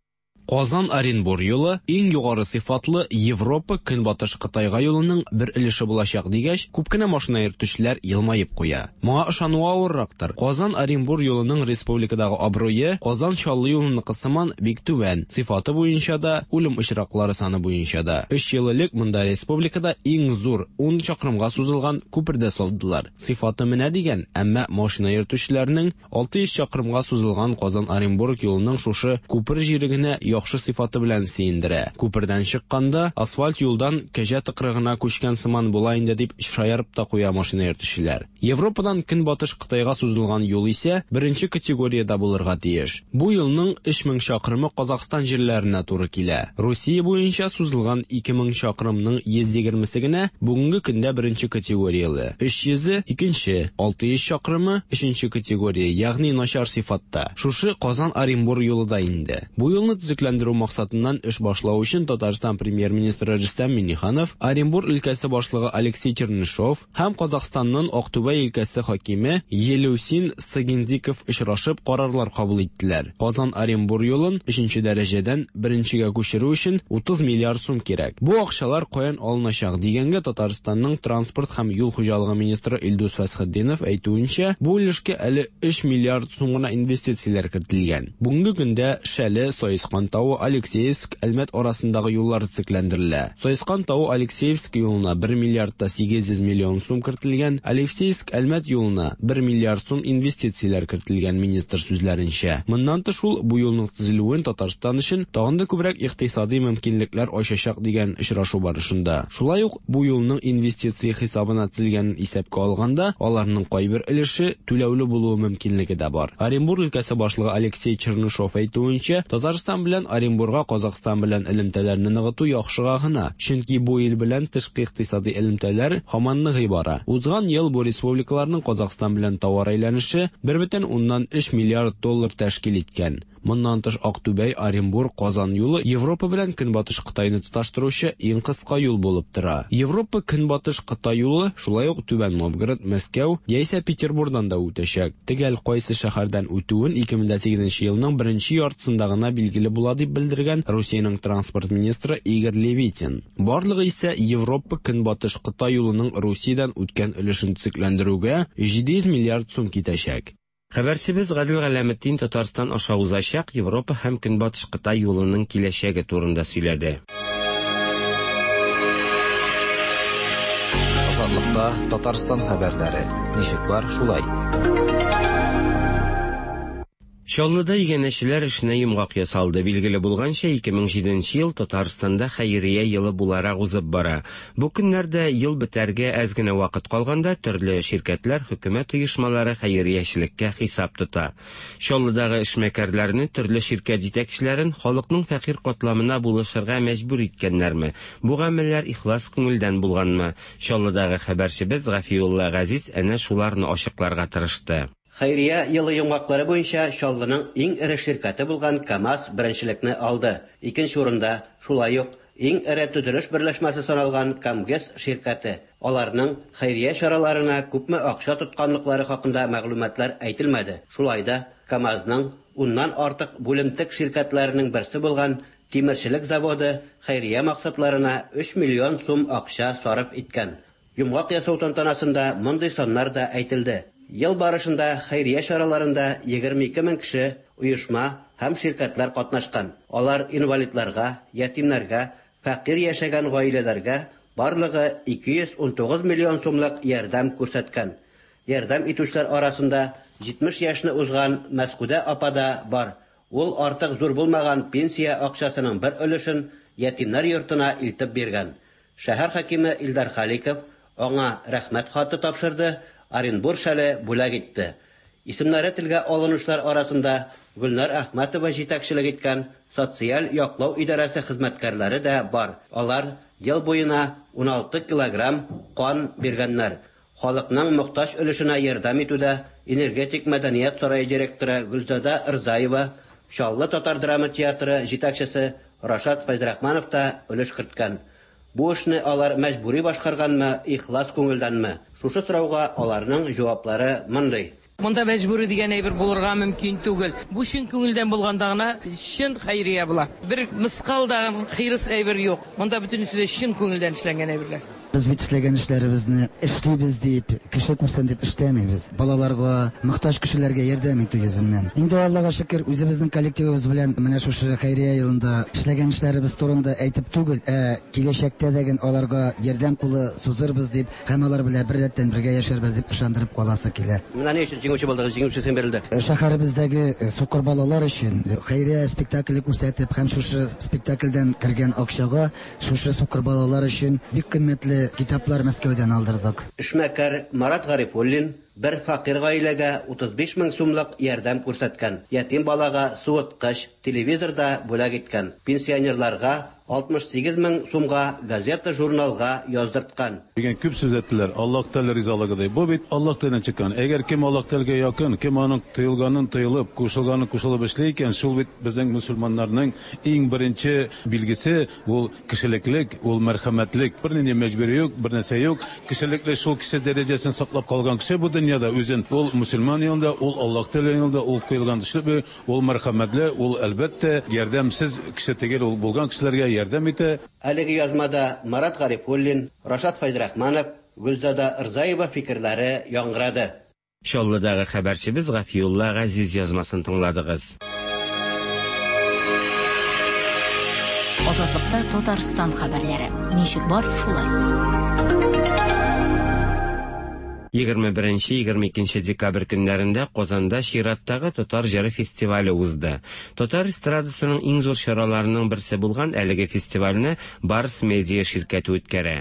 Казан-Оренбур юлы иң югары сыйфатлы Европа Көнбатыш Кытайга юлының бер өлеше булачак дигәч, күп кенә машина йөртүчеләр елмаеп куя. Моңа ышануы авыррактыр. Казан-Оренбур юлының республикадагы абруе Казан-Чаллы юлыныкы сыман бик түбән, сыйфаты буенча да, үлем очраклары саны буенча да. Өч ел элек монда республикада иң зур, ун чакрымга сузылган күпер дә салдылар. Сыйфаты менә дигән, әмма машина йөртүчеләрнең 600 чакрымга сузылган Казан-Оренбург юлының шушы күпер җире генә яхшы сыйфаты белән сөендерә. Күпердән чыкканда, асфальт юлдан кәҗә тыкрыгына күчкән сыман була инде, дип шаярып та куя машина йөртүчеләр. Европадан Көнбатыш Кытайга сузылган юл исә беренче категориядә булырга тиеш. Бу юлның 3000 чакрымы Казахстан җирләренә туры килә. Русия буенча сузылган 2000 чакрымның 120-се генә бүгенге көндә беренче категорияле, 300-е, икенче, 600 чакрымы, өченче категория, ягъни начар сыйфатта. Шушы Казан-Оренбур юлы да инде. Бу юлны төзекләндерү максатыннан эш башлау өчен Татарстан Премьер-министры Рөстәм Миңнеханов, Оренбур өлкәсе башлыгы Алексей Чернышов һәм Казахстанның Актүбә өлкәсе хакиме Елеусин Сагиндиков очрашып карарлар кабул иттеләр. Казан-Оренбур юлын өченче дәрәҗәдән беренчегә күчерү өчен 30 миллиард сум кирәк. Бу акчалар каян алыначак дигәнгә Татарстанның транспорт һәм юл хуҗалыгы министры Илдус Фәсхетдинов әйтүенчә, бу өлешкә әле 3 миллиард сум гына инвестицияләр кертелгән. Бүгенге көндә Шәле, Саескан тавы, Алексеевск, Әлмәт арасындагы юллар төзекләндерелә. Саескан тавы, Алексеевск юлына 1 миллиард та 800 миллион сум кертелгән, Алексеевск, Әлмәт юлына 1 миллиард сум инвестицияләр кертелгән, министр сүзләренчә. Моннан тыш ул бу юлның төзелүен Татарстан өчен тагын да күбрәк икътисадый мөмкинлекләр ачачак дигән очрашу барышында. Шулай ук бу юлның инвестиция хисабына төзелгәнен исәпкә алганда, аларның кайбер өлеше түләүле булуы мөмкинлеге дә бар. Оренбур өлкәсе башлыгы Алексей Чернышов әйтүенчә, Татарстан белән Оренбурга Казахстан белән элемтәләрне ныгыту яхшыга гына, чөнки бу ил белән тышкы икътисадый элемтәләр һаман ныгый бара. Узган ел бу республикаларның Казахстан белән товар әйләнеше 1,3 миллиард доллар тәшкил иткән. Моннан тыш Актүбәй, Оренбур, Казан юлы Европа белән Көнбатыш Кытайны тоташтыручы иң кыска юл булып тора. Европа, Көнбатыш Кытай юлы шулай ук Түбән Новгород, Мәскәү яисә Петербурдан да үтәчәк. Төгәл кайсы шәһәрдән үтүен 2008 елның беренче яртысында гына билгеле була дип белдергән Русиянең транспорт министры Игорь Левитин. Барлыгы исә Европа, Көнбатыш Кытай юлының Русиядән үткән өлешен төзекләндерүгә 700 миллиард сум китәчәк. Хәбәрчебез Гадел Галәметдин Татарстан аша узачак Европа һәм Көнбатыш Кытай юлының киләчәге турында сөйләде. Азатлыкта Татарстан хәбәрләре. Ничек бар, шулай. Чаллыда иганәчеләр эшенә йомгак ясалды. Билгеле булганча, 2007 ел Татарстанда хәйрия елы буларак узып бара. Бу көннәрдә ел бетәргә әз генә вакыт калганда төрле ширкәтләр, хөкүмәт оешмалары хәйриячелеккә хисап тота. Чаллыдагы эшмәкәрләрне, төрле ширкәт җитәкчеләрен халыкның фәкыйрь катламына булышырга мәҗбүр иткәннәрме? Бу гамәлләр ихлас күңелдән булганмы? Чаллыдагы хәбәрчебез Гафиулла Газиз әнә шуларны ачыкларга тырышты. Хәйрия елы йомгаклары буенча Чаллының иң эре ширкәте булган КАМАЗ беренчелекне алды. Икенче урында, шулай ук, иң эре төзелеш берләшмәсе саналган КАМГЭС ширкәте. Аларның хәйрия чараларына күпме акча тотканлыклары хакында мәгълүматлар әйтелмәде. Шулай да, КАМАЗның уннан артык бүлемтек ширкәтләренең берсе булган тимерчелек заводы хәйрия максатларына 3 миллион сум акча сарыф иткән. Йомгак ясау тантанасында мондый саннар да әйтелде. Ел барышында хәйрия чараларында 22 мең кеше, оешма һәм ширкәтләр катнашкан. Алар инвалидларга, ятимнәргә, фәкыйрь яшәгән гаиләләргә барлыгы 219 миллион сумлык ярдәм күрсәткән. Ярдәм итүчеләр арасында 70 яшьне узган Мәскүдә апа да бар. Ул артык зур булмаган пенсия акчасының бер өлешен ятимнәр йортына илтеп биргән. Шәһәр хакиме Илдар Халиков аңа рәхмәт хаты тапшырды, Оренбур шәле бүләк итте. Исемнәре телгә алынучылар арасында Гөлнар Әхмәтова җитәкчелек иткән социаль яклау идарәсе хезмәткәрләре дә бар. Алар ел буена 16 килограмм кан биргәннәр. Халыкның мохтаҗ өлешенә ярдәм итүдә Энергетик мәдәният сарае директоры Гөлзада Рзаева, Чаллы татар драма театры җитәкчесе Рашат Фәйзрахманов та өлеш керткән. Бу эшне алар мәҗбүри башкарганмы, ихлас күңелдәнме? Шушы сорауга аларның җаваплары мондый. Монда мәҗбүри дигән әйбер булырга мөмкин түгел. Бу чын күңелдән булганда гына чын хәйрия була. Бер мыскал да хирыс әйбер юк. Монда бөтенесе дә чын күңелдән эшләнгән әйберләр. Без бит эшләгән эшләребезне эшлибез дип, кеше күрсен дип эшләмибез. Балаларга, мохтаҗ кешеләргә ярдәм итү йөзеннән. Инде Аллага шөкер, үзебезнең коллективыбыз белән менә шушы хәйрия елында эшләгән эшләребез турында әйтеп түгел, ә киләчәктә дә ген аларга ярдәм кулы сузырбыз дип һәм алар белән беррәттән бергә яшәрбез дип ышандырып каласы килә. Менә ни өчен җиңүче булдыгыз, җиңүче исеме бирелде. Шәһәребездәге сукыр балалар өчен хәйрия спектакле күрсәтеп һәм шушы спектакльдән кергән акчага Шушы сукыр балалар өчен бик кыйммәтле китаплар Мәскәүдән алдырдык. Эшмәкәр Марат Гарифуллин бер фәкыйрь гаиләгә 35 мең сумлык ярдәм күрсәткән, ятим балага суыткыч, телевизор да бүләк иткән, пенсионерларга 68 мең сумга газета-журналга яздырткан. Дигән күп сүз әйттеләр. Аллаһ Тәгалә ризалыгы ди. Бу бит Аллаһ Тәгаләдән чыккан. Әгәр кем Аллаһ Тәгаләгә якын, кем аның тыелганын тыелып, кушылганын кушылып эшли икән, шул бит безнең мөселманнарның иң беренче билгесе, Ул кешелеклек, ул мәрхәмәтлек. Бернинди мәҗбүри юк, бернәрсә юк. Кешелекле шул кеше дәрәҗәсен саклап калган кеше бу дөньяда үзен, ул мөселман юлында, ул Аллаһ Тәгалә юлында, ул куелган төсле, ул мәрхәмәтле, ул, әлбәттә, ярдәмсез кеше түгел, ул булган кешеләргә ярдәм итә. Әлеге язмада Марат Гарифуллин, Рашат Фәйзрахманов, Гөлзада Рзаева фикерләре яңгырады. Чаллыдагы хәбәрчебез Гафиулла Газиз язмасын тыңладыгыз. Азатлыкта Татарстан хәбәрләре. Ничек бар, шулай. 21-22 декабрь көннәрендә Казанда чираттагы Татар җыры фестивале узды. Татар эстрадасының иң зур чараларының берсе булган әлеге фестивальне Барс Медиа ширкәте үткәрә.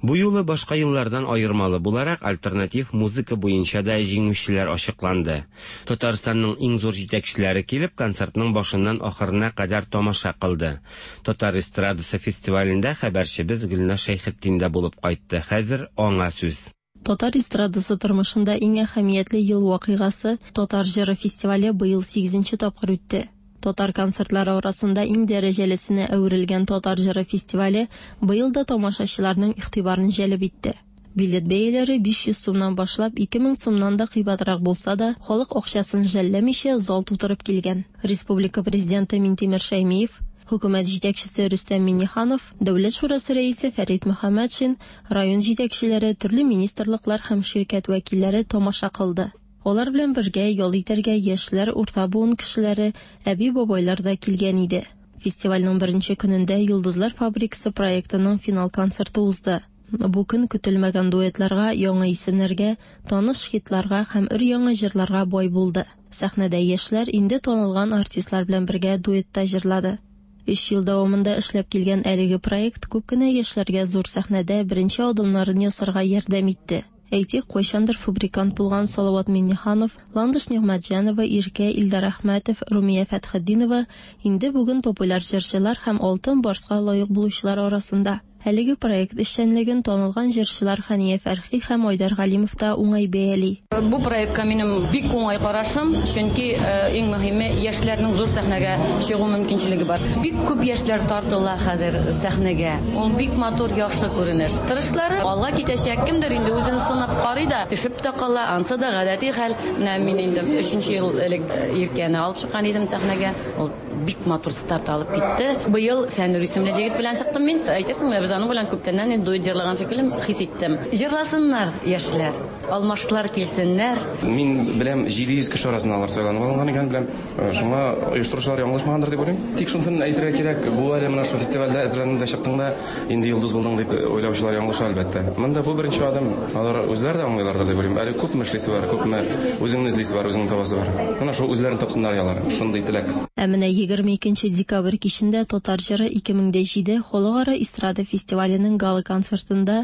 Бу юлы башка еллардан аермалы буларак, альтернатив музыка буенча да җиңүчеләр ачыкланды. Татарстанның иң зур җитәкчеләре килеп, концертның башыннан ахырына кадәр тамаша кылды. Татар эстрадасы фестивалендә хәбәрчебез Гөлназ Шәйхетдин дә булып кайтты. Хәзер аңа сүз. Татар эстрадасы тормышында иң әһәмиятле ел вакыйгасы, Татар җыры фестивале быел сигезенче тапкыр үтте. Татар концертлары арасында иң дәрәҗәлесенә әверелгән Татар җыры фестивале быел да тамашачыларның игътибарын җәлеп итте. Билет бәяләре 500 сумнан башлап 2000 сумнан да кыйбатрак булса да, халык акчасын жәлләмичә зал тутырып килгән. Республика Президенты Минтимер Шәймиев, Хөкүмәт җитәкчесе Рөстәм Миңнеханов, Дәүләт шурасы рәисе Фәрит Мөхәммәтшин, район җитәкчеләре, төрле министрлыклар һәм ширкәт вәкилләре тамаша кылды. Алар белән бергә ял итәргә яшьләр, урта буын кешеләре, әби-бабайлар да килгән иде. Фестивальнең беренче көнендә Йолдызлар фабрикасы проектының финал концерты узды. Бу көн көтелмәгән дуэтларга, яңа исемнәргә, таныш хитларга һәм өр-яңа җырларга бай булды. Сәхнәдә яшьләр инде танылган артистлар белән бергә дуэтта җырлады. Өч ел дәвамында эшләп килгән әлеге проект күп кенә яшьләргә зур сәхнәдә беренче адымнарын ясарга ярдәм итте. Әйтик, кайчандыр фабрикант булган Салават Миңнеханов, Ландыш Нигъмәтҗанова, Иркә, Илдар Әхмәтов, Румия Фәтхетдинова инде бүген популяр җырчылар һәм Алтын барска лаек булучылар арасында. Әлеге проект эшчәнлеген танылган җырчылар Хәния Фәрхи һәм Айдар Галимов та уңай бәяли. Бу проектка минем бик уңай карашым, чөнки иң мөһиме, яшьләрнең зур сәхнәгә чыгу мөмкинчелеге бар. Бик күп яшьләр тартыла хәзер сәхнәгә. Ул бик матур, яхшы күренеш. Тырышлары алга китәчәк, кемдер инде үзен сынап карый да, төшеп тә кала, ансы да гадәти хәл. Менә мин инде өченче ел элек Иркәне алып чыккан идем сәхнәгә. Ул бик матур старт алып китте. Быел Фәнүр исемле җегет белән чыктым мин. Әйтерсең лә, без аның белән күптәннән инде дуэт җырлаган шикелле хис иттем. Җырласыннар яшьләр, алмашлар килсеннәр. Мин беләм, 700 кеше арасыннан алар сайланып алынган икән, беләм. Э, шуңа оештыручылар яңлышмагандыр дип уйлыйм. Тик шунысын әйтергә кирәк, бу әле менә шул фестивальдә әзерләндең дә чыктың да, инде йолдыз булдың дип уйлаучылар ялгыша, әлбәттә. Монда бу беренче адым. Алар үзләре дә аңлыйлардыр дип уйлыйм. Әле күпме эшлисе бар, күпме үзеңне эзлисе бар, үзеңне табасы бар. Менә шул үзләрен тапсыннар алар. Шундый теләк. Ә менә 22 декабрь кичендә Татар җыры 2007 халыкара эстрада фестиваленең гала-концертында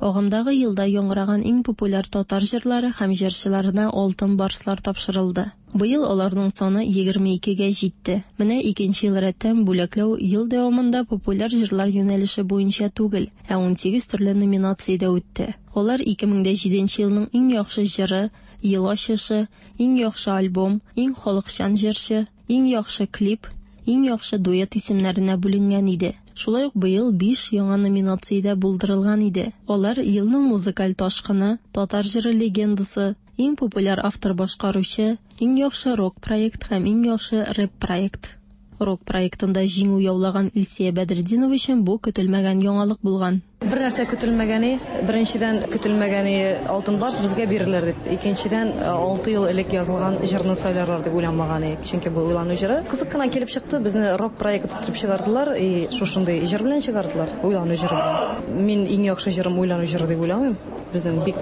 агымдагы елда яңгыраган иң популяр татар җырлары һәм җырчыларына Алтын барслар тапшырылды. Быел аларның саны 22 гә җитте. Менә икенче ел рәттән бүләкләү ел дәвамында популяр җырлар юнәлеше буенча түгел, ә 18 төрле номинациядә үтте. Алар 2007 елның иң яхшы җыры, ел ачышы, иң яхшы альбом, иң халыкчан җырчы, иң яхшы клип, иң яхшы дуэт исемнәренә бүленгән иде. Шулай ук быел 5 яңа номинация дә булдырылган иде. Алар елның музыкаль ташкыны, татар җыры легендасы, иң популяр автор-башкаручы, иң яхшы рок-проект һәм иң яхшы рэп-проект. Рок проектында җиңү яулаган Илсия Бәдретдинова өчен бу көтелмәгән яңалык булган. Бер нәрсә көтелмәгәне, беренчедән көтелмәгәне Алтын Барс безгә бирелер дип, икенчедән 6 ел элек язылган җырны сайларлар дип уйланмаган идек, чөнки бу уйлану җыры. Кызык кына килеп чыкты, безне рок проект итеп чыгардылар и шушындый җыр белән чыгардылар, уйлану җыры белән. Мин иң яхшы җырым уйлану җыры дип уйламыйм. Безнең бик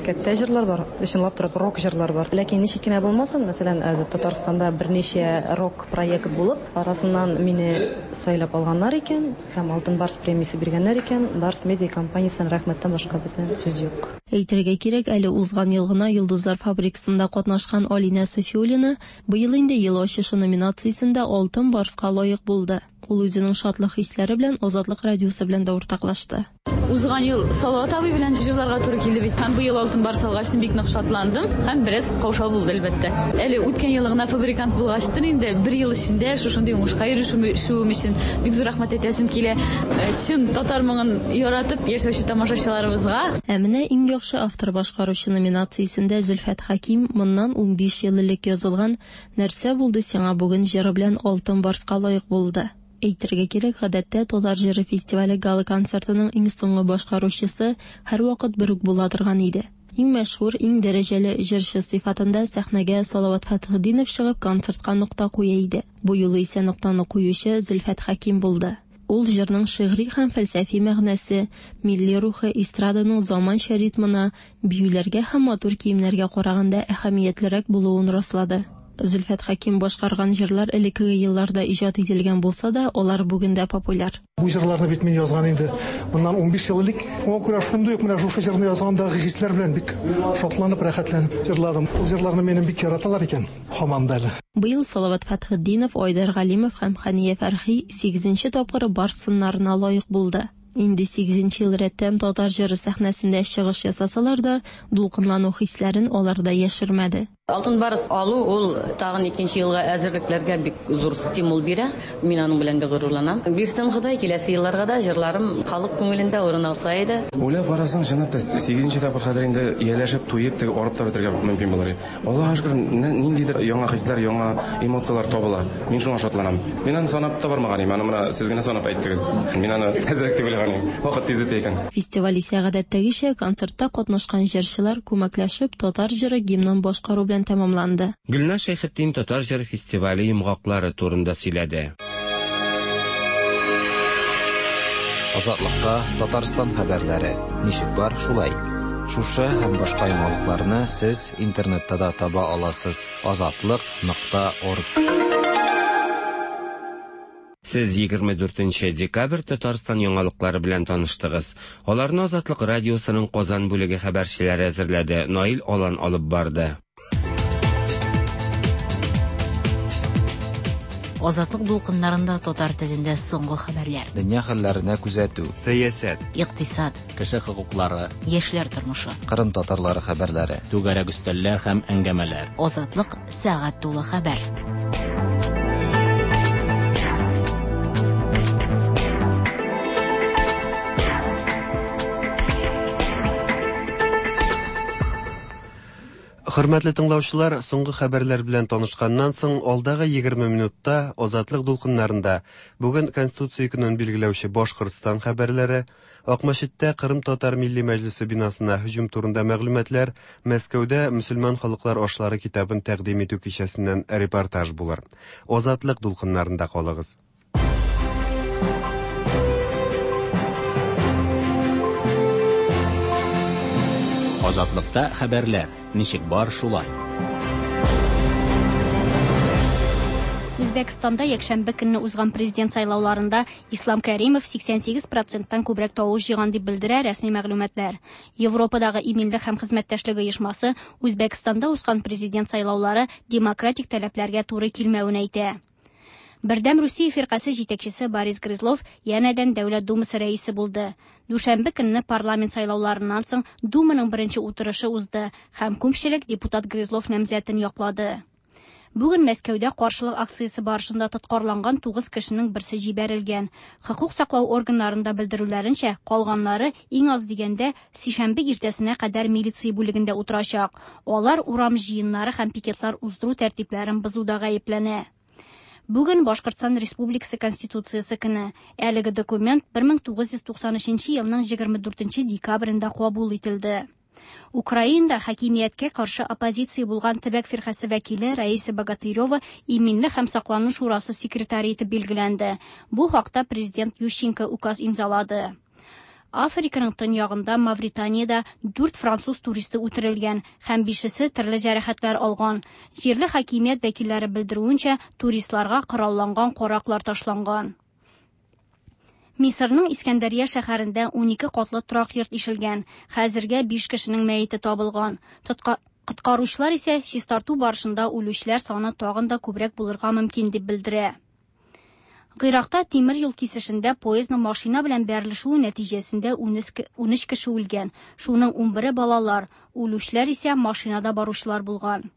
кәттә җырлар бар, чынлап торып рок җырлар бар. Ләкин ничек кенә булмасын, мәсәлән, Татарстанда берничә рок проект булып, арасыннан мине сайлап алганнар икән һәм Алтын Барс премиясе биргәннәр икән, Барс медиа компаниясенә рәхмәттән башка бүтән сүз юк. Әйтергә кирәк, әле узган ел гына Йолдызлар фабрикасында катнашкан Алинә Сафиуллина быел инде Ел ачышы номинациясендә Алтын Барска лаек булды. Ул үзенең шатлык хисләре белән Азатлык радиосы белән дә уртаклашты. Узган ел Салават абый белән җырларга туры килде бит. Һәм быел Алтын Барс алгач бик нык шатландым һәм бераз каушау булды, әлбәттә. Әле үткән ел гына фабрикант булгачтын инде бер ел эчендә шушындый уңышка ирешүем өчен бик зур рәхмәт әйтәсем килә. Чын татар моңын яратып яшәүче тамашачыларыбызга. Ә менә иң яхшы автор-башкаручы номинациясендә Зөлфәт Хәким моннан 15 ел элек язылган Нәрсә булды сиңа бүген җыры белән Алтын Барска лаек булды. Әйтергә кирәк, гадәттә Татар җыры фестивале гала-концертының иң соңгы башкаручысы һәрвакыт бер үк була торган иде. Иң мәшһүр, иң дәрәҗәле җырчы сыйфатында сәхнәгә Салават Фәтхетдинов чыгып концертка нокта куя иде. Бу юлы исә ноктаны куючы Зөлфәт Хәким булды. Ул җырның шигъри һәм фәлсәфи мәгънәсе, милли рухы, эстраданың заманча ритмына, биюләргә һәм матур киемнәргә караганда әһәмиятлерәк булуын раслады. Зөлфәт Хәким башкарган җырлар элеккеге елларда иҗат ителгән булса да, алар бүген дә популяр. Бу җырларны бит мин язган инде моннан 15 ел элек. Шуңа күрә шундый ук менә шушы җырны язгандагы хисләр белән бик шатланып, рәхәтләнеп җырладым. Ул җырларны минем бик яраталар икән, һаман да әле. Быел Салават Фәтхетдинов, Айдар Галимов һәм Хәния Фәрхи сигезенче тапкыр Барс сыннарына лаек булды. Инде сигезенче ел рәттән татар җыры сәхнәсендә чыгыш ясасалар да, дулкынлану хисләрен алар да яшермәде. Алтын барс алу ул тагын икенче елга әзерлекләргә бик зур стимул бирә. Мин аның белән бик горурланам. Бирсен Ходай, киләсе елларга да җырларым халык күңелендә урын алса иде. Уйлап карасаң, чынлап та, сигезенче тапкыр хәзер инде ияләшеп, туеп, теге арып та бетерергә мөмкин булыр иде. Аллага шөкер, ниндидер яңа хисләр, яңа эмоцияләр табыла. Мин шуңа шатланам. Мин аны санап та бармаган идем, аны менә сез генә санап әйттегез. Мин аны әзрәк дип уйлаган идем. Вакыт тиз үтә икән. Фестиваль исә гадәттәгечә концертта катнашкан җырчылар күмәкләшеп татар җыры гимнын башкару белән тәмамланды. Гөлназ Шәйхетдин татар җыры фестивале йомгаклары турында сөйләде. Азатлыкта Татарстан хәбәрләре. Ничек бар, шулай. Шушы һәм башка яңалыкларны сез интернетта да таба аласыз. Азатлык нокта орг. Сез 24 декабрь Татарстан яңалыклары белән таныштыгыз. Аларны Азатлык радиосының Казан бүлеге хәбәрчеләре әзерләде. Наил Алан алып барды. Азатлык дулкыннарында татар телендә соңгы хәбәрләр. Дөнья хәлләренә күзәтү. Сәясәт. Икътисад. Кеше хокуклары. Яшьләр тормышы. Кырым татарлары хәбәрләре. Түгәрәк өстәлләр һәм әңгәмәләр. Азатлык сәгать тулы хәбәр. Хөрмәтле тыңлаучылар, соңгы хәбәрләр белән танышканнан соң, алдагы 20 минутта Азатлык дулкыннарында бүген Конституция көнен билгеләүче Башкортстан хәбәрләре, Акмәчеттә Кырым татар милли мәҗлесе бинасына һөҗүм турында мәгълүматлар, Мәскәүдә мөселман халыклар ашлары китабын тәкъдим итү кичәсеннән репортаж булыр. Азатлык дулкыннарында калыгыз. Азатлыкта хәбәрләр. Ничек бар, шулай. Үзбәкстанда якшәмбе көнне узган президент сайлауларында Ислам Кәримов 88 проценттан күбрәк тавыш җыйган дип белдерә рәсми мәгълүматлар. Европадагы иминлек һәм хезмәттәшлек оешмасы Үзбәкстанда узган президент сайлаулары демократик таләпләргә туры килмәвен әйтә. Бердәм Русия фиркасе җитәкчесе Борис Грызлов янәдән Дәүләт Думасы рәисе булды. Дүшәмбе көнне парламент сайлауларыннан соң Думаның беренче утырышы узды һәм күпчелек депутат Грызлов намзәтен яклады. Бүген Мәскәүдә каршылык акциясе барышында тоткарланган 9 кешенең берсе җибәрелгән. Хокук саклау органнарында белдерүләренчә, калганнары иң аз дигәндә сишәмбе иртәсенә кадәр милиция бүлегендә утырачак. Алар урам җыеннары һәм пикетлар уздыру тәртипләрен бозуда гаепләнә. Бүген Башкортстан Республикасы Конституциясе көне. Әлеге документ 1993 елның 24 декабрендә кабул ителде. Украинада хакимияткә каршы оппозиция булган төбәк фиркасе вәкиле Раиса Богатырева Иминлек һәм саклану шурасы секретаре итеп билгеләнде. Бу хакта президент Ющенко указ имзалады. Африканың төньягында Мавританиядә дүрт француз туристы үтерелгән һәм бишесе төрле җәрәхәтләр алган. Җирле хакимият вәкилләре белдерүенчә, туристларга коралланган караклар ташланган. Мисырның Искәндәрия шәһәрендә 12 катлы торак йорт ишелгән. Хәзергә 5 кешенең мәете табылган. Коткаручылар исә чистарту барышында үлүчеләр саны тагын да күбрәк булырга мөмкин дип белдерә. Гыйракта тимер юл кисешендә поездның машина белән бәрелешүе нәтиҗәсендә 13 кеше үлгән. Шуның 11-е балалар, үлүчеләр исә машинада баручылар булган.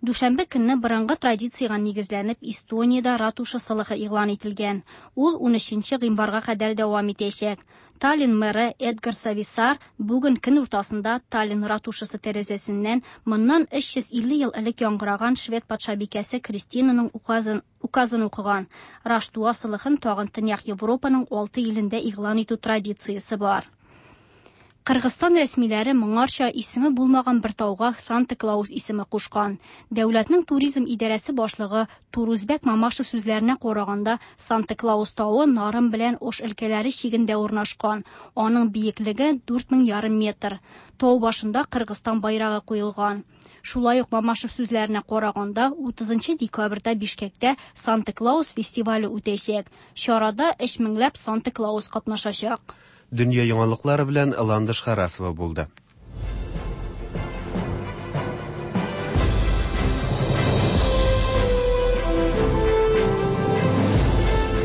Дүшәмбе көнне борынгы традициягә нигезләнеп Эстониядә ратуша сылыгы игълан ителгән. Ул 13 гыйнварга кадәр дәвам итәчәк. Таллин мэры Эдгар Сависар бүген көн уртасында Таллин ратушасы тәрәзәсеннән моннан 350 ел элек яңгыраган швед патшабикәсе Кристинаның указын, указын укыган. Раштуа сылыгын тагын Төньяк Европаның 6 илендә игълан итү традициясе бар. Кыргызстан рәсмиләре моңарча исеме булмаган бер тауга Санта Клаус исеме кушкан. Дәүләтнең туризм идарәсе башлыгы Турузбек Мамашев сүзләренә караганда, Санта Клаус тавы Нарын белән Ош өлкәләре чигендә урнашкан. Аның биеклеге 4500 метр. Тау башында Кыргызстан байрагы куелган. Шулай ук Мамашев сүзләренә караганда, 30 декабрьдә Бишкектә Санта Клаус фестивале үтәчәк. Чарада 3000ләп Санта Клаус катнашачак. Дөнья яңалыклары белән Ландыш Харасова булды.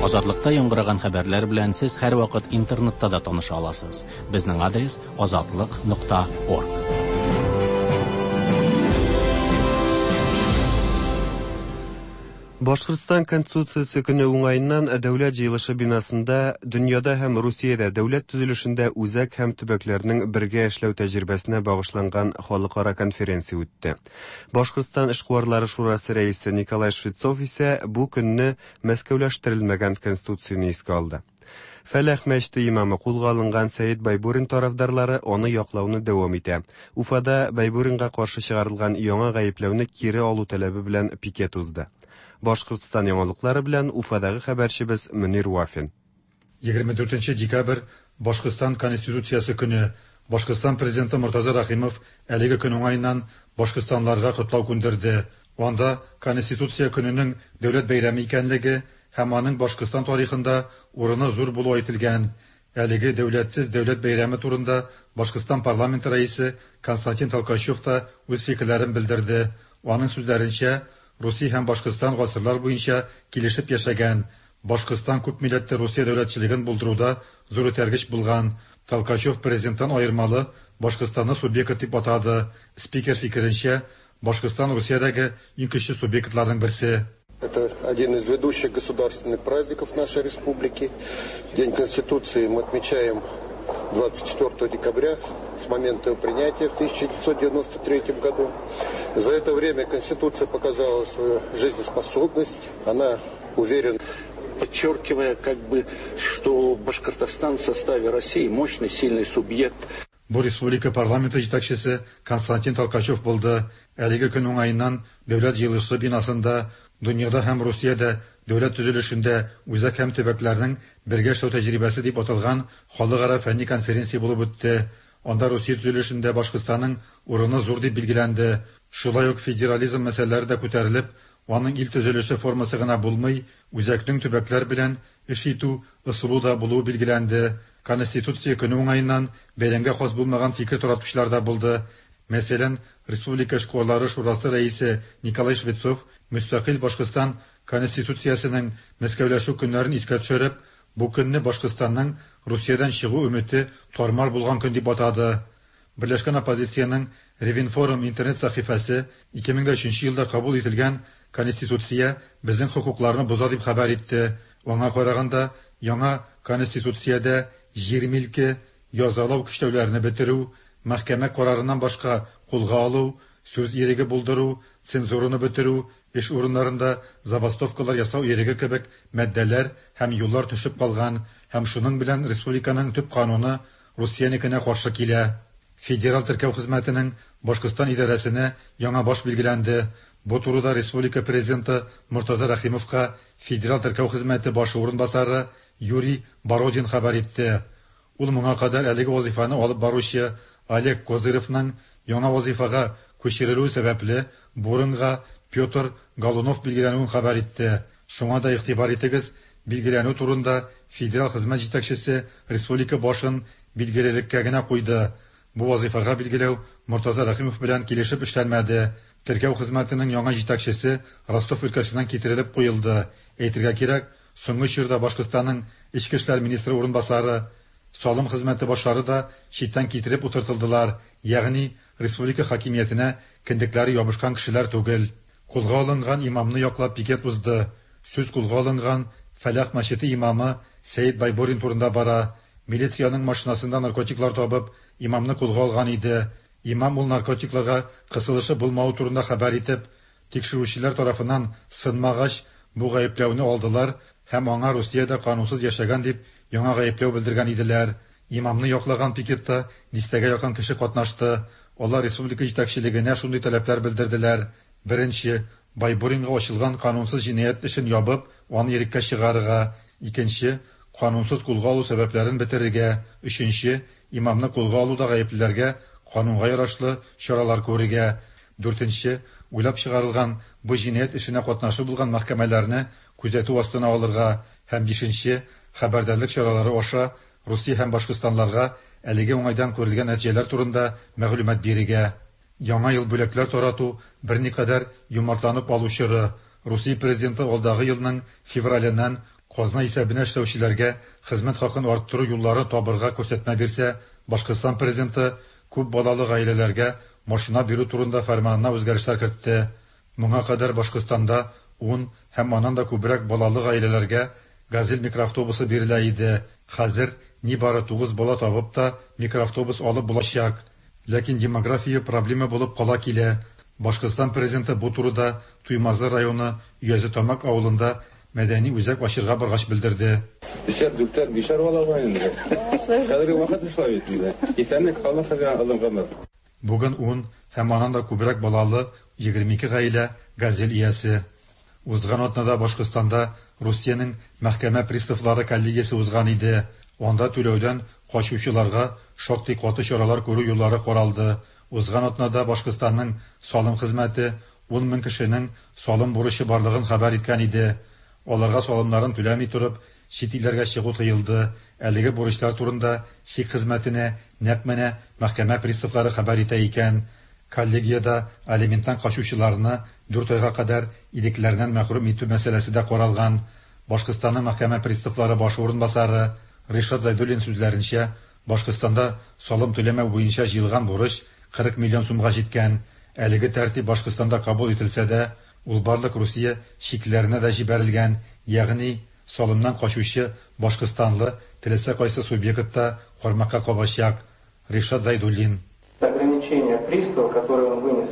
Азатлыкта яңгыраган хәбәрләр белән сез һәрвакыт интернетта да таныша аласыз. Безнең адрес азатлык.орг. Башкортстан Конституциясе көне уңаеннан Дәүләт җыелышы бинасында дөньяда һәм Русиядә дәүләт төзелешендә үзәк һәм төбәкләрнең бергә эшләү тәҗрибәсенә багышланган халыкара конференция үтте. Башкортстан эшкуарлары шурасы рәисе Николай Швецов исә бу көнне Мәскәүләштерелмәгән конституцияне искә алды. Фәләх мәчете имамы кулга алынган Сәет Байбурин тарафдарлары аны яклауны дәвам итә. Уфада Байбуринга каршы чыгарылган яңа гаепләүне кире алу таләбе белән пикет узды. Башкортстан яңалыклары белән Уфадагы хәбәрчебез Мөнир Вафин. 24 декабрь Башкортстан Конституциясе көне. Башкортстан президенты Мортаза Рәхимов әлеге көн уңаеннан башкортстанларга котлау күндерде. Анда Конституция көненең дәүләт бәйрәме икәнлеге һәм аның Башкортстан тарихында урыны зур булуы әйтелгән. Әлеге дәүләтсез дәүләт бәйрәме турында Башкортстан парламенты рәисе Константин Толкачев та үз фикерләрен белдерде. Аның сүзләренчә, Русия һәм Башкортстан гасырлар буенча килешеп яшәгән. Башкортстан күп милләтле Русия дәүләтчелеген булдыруда зур этәргеч булган. Толкачев президенттан аермалы Башкортстанны субъект дип атады. Спикер фикеренчә, Башкортстан Русиядәге иң көчле субъектларның берсе. Это один из ведущих государственных праздников нашей республики. День Конституции мы отмечаем 24 декабря с момента его принятия в 1993 году. За это время Конституция показала свою жизнеспособность. Она уверена, подчеркивая, как бы, что Башкортостан в составе России мощный, сильный субъект. Бу республика парламенты җитәкчесе Константин Толкачев булды. Әлеге көн уңаеннан Дәүләт җыелышы бинасында дөньяда һәм Русиядә дәүләт төзелешендә үзәк һәм төбәкләрнең бергә эшләү тәҗрибәсе дип аталган халыкара фәнни конференция булып үтте. Анда Русия төзелешендә Башкортстанның урыны зур дип билгеләнде. Шулай ук федерализм мәсьәләләре дә күтәрелеп, Аның ил төзелеше формасы гына булмый, үзәкнең төбәкләр белән эш итү ысулы да булуы билгеләнде. Конституция көне уңаеннан бәйрәмгә хас булмаган фикер таратучылар да булды. Мәсәлән, Республика эшкуарлары шурасы рәисе Николай Швецов мөстәкыйль Башкортстан Конституциясенең Мәскәүләшү көннәрен искә төшереп, бу көнне Башкортстанның Русиядән чыгу өмете тар-мар булган көн дип атады. Берләшкән оппозициянең Ревинформ интернет сәхифәсе 2003 елда кабул ителгән Конституция безнең хокукларны боза дип хәбәр итте. Аңа караганда, яңа Конституциядә җир милке, язалау көчләүләрне бетерү, мәхкәмә карарыннан башка кулга алу, сүз иреге булдыру, цензураны бетерү, эш урыннарында забастовкалар ясау иреге кебек маддәләр һәм юллар төшеп калган һәм шуның белән республиканың төп кануны Русиянекенә каршы килә. Федераль теркәү хезмәтенең Башкортстан идарәсенә яңа баш билгеләнде. Бу турыда республика Президенты Мортаза Рәхимовка Федераль теркәү хезмәте башы урынбасары Юрий Бородин хәбәр итте. Ул моңа кадәр әлеге вазыйфаны алып баручы Олег Козыревның яңа вазыйфага күчерелүе сәбәпле бу урынга Петр Голунов билгеләнүен хәбәр итте. Шуңа да игътибар итегез, билгеләнү турында федераль хезмәт җитәкчесе республика башын билгелелеккә генә куйды. Бу вазыйфага билгеләү Мортаза Рәхимов белән килешеп эшләнмәде. Теркәү хезмәтенең яңа җитәкчесе Ростов өлкәсеннән китерелеп куелды. Әйтергә кирәк, соңгы чорда Башкортстанның эчке эшләр министры урынбасары, салым хезмәте башлары да читтән китереп утыртылдылар, ягъни республика хакимиятенә кендекләре ябышкан кешеләр түгел. Кулга алынган имамны яклап пикет узды. Сүз кулга алынган Фәлах мәчете имамы Сәет Байбурин турында бара. Милициянең машинасында наркотиклар табып, имамны кулга алган иде. Имам ул наркотикларга кысылышы булмавы турында хәбәр итеп, тикшерүчеләр тарафыннан сынмагач, бу гаепләүне алдылар һәм аңа Русиядә канунсыз яшәгән дип яңа гаепләү белдергән иделәр. Имамны яклаган пикетта дистәгә якын кеше катнашты. Алар республика җитәкчелегенә шундый таләпләр белдерделәр. Беренче, Байбуринга ачылган канунсыз җинаять эшен ябып, аны иреккә чыгарырга. Икенче, канунсыз кулга алу сәбәпләрен бетерергә. Өченче, имамны кулга алуда гаеплеләргә канунга ярашлы чаралар күрергә. Дүртенче, уйлап чыгарылган бу җинаять эшенә катнашы булган мәхкәмәләрне күзәтү астына алырга. Һәм бишенче, хәбәрдарлык чаралары аша Русия һәм башкортстанларга әлеге уңайдан күрелгән нәтиҗәләр турында мәгълүмат бирергә. Яңа ел бүләкләр тарату берникадәр юмартланып алу чоры. Русия президенты алдагы елның февраленнән казна исәбенә эшләүчеләргә хезмәт хакын арттыру юллары табырга күрсәтмә бирсә, Башкортстан президенты күп балалы гаиләләргә машина бирү турында фәрманына үзгәрешләр кертте. Моңа кадәр Башкортстанда 10 һәм аннан да күбрәк балалы гаиләләргә Газель микроавтобусы бирелә иде. Хәзер нибары 9 бала табып та микроавтобус алып булачак. Ләкин демография проблема булып кала килә. Башкортстан президенты бу турыда Туймазы районы Өязетамак авылында мәдәни үзәк ачырга баргач белдерде. Өчәр, дүртәр, бишәр бала бар инде. Хәзерге вакыт шулай бит инде. Исәнлек, Аллаһ сезгә озын гомер. Бүген 10 һәм аннан да күбрәк балалы 22 гаилә Газель иясе. Узган атнада Башкортстанда Русиянең мәхкәмә приставлары коллегиясе узган иде. Анда түләүдән качучыларга шактый каты чаралар күрү юллары каралды. Узган атнада Башкортстанның салым хезмәте 10 мең кешенең салым бурычы барлыгын хәбәр иткән иде. Аларга салымнарын түләми торып, чит илләргә чыгу тыелды. Әлеге бурычлар турында чик хезмәтенә нәкъ менә мәхкәмә приставлары хәбәр итә икән. Коллегиядә алименттан качучыларны 4 айга кадәр ирекләреннән мәхрүм итү мәсьәләсе дә каралган. Башкортстанның мәхкәмә приставлары башы урынбасары Ришат Зайдуллин сүзләренчә, Башкортстанда салым түләмәү буенча җыелган бурыч 40 миллион сумга җиткән. Әлеге тәртип Башкортстанда кабул ителсә дә, ул барлык Русия чикләренә дә җибәрелгән, ягъни салымнан качучы башкортстанлы теләсә кайсы субъектта кармакка кабачак. Ришат Зайдуллин. Ограничение пристава, которое он вынес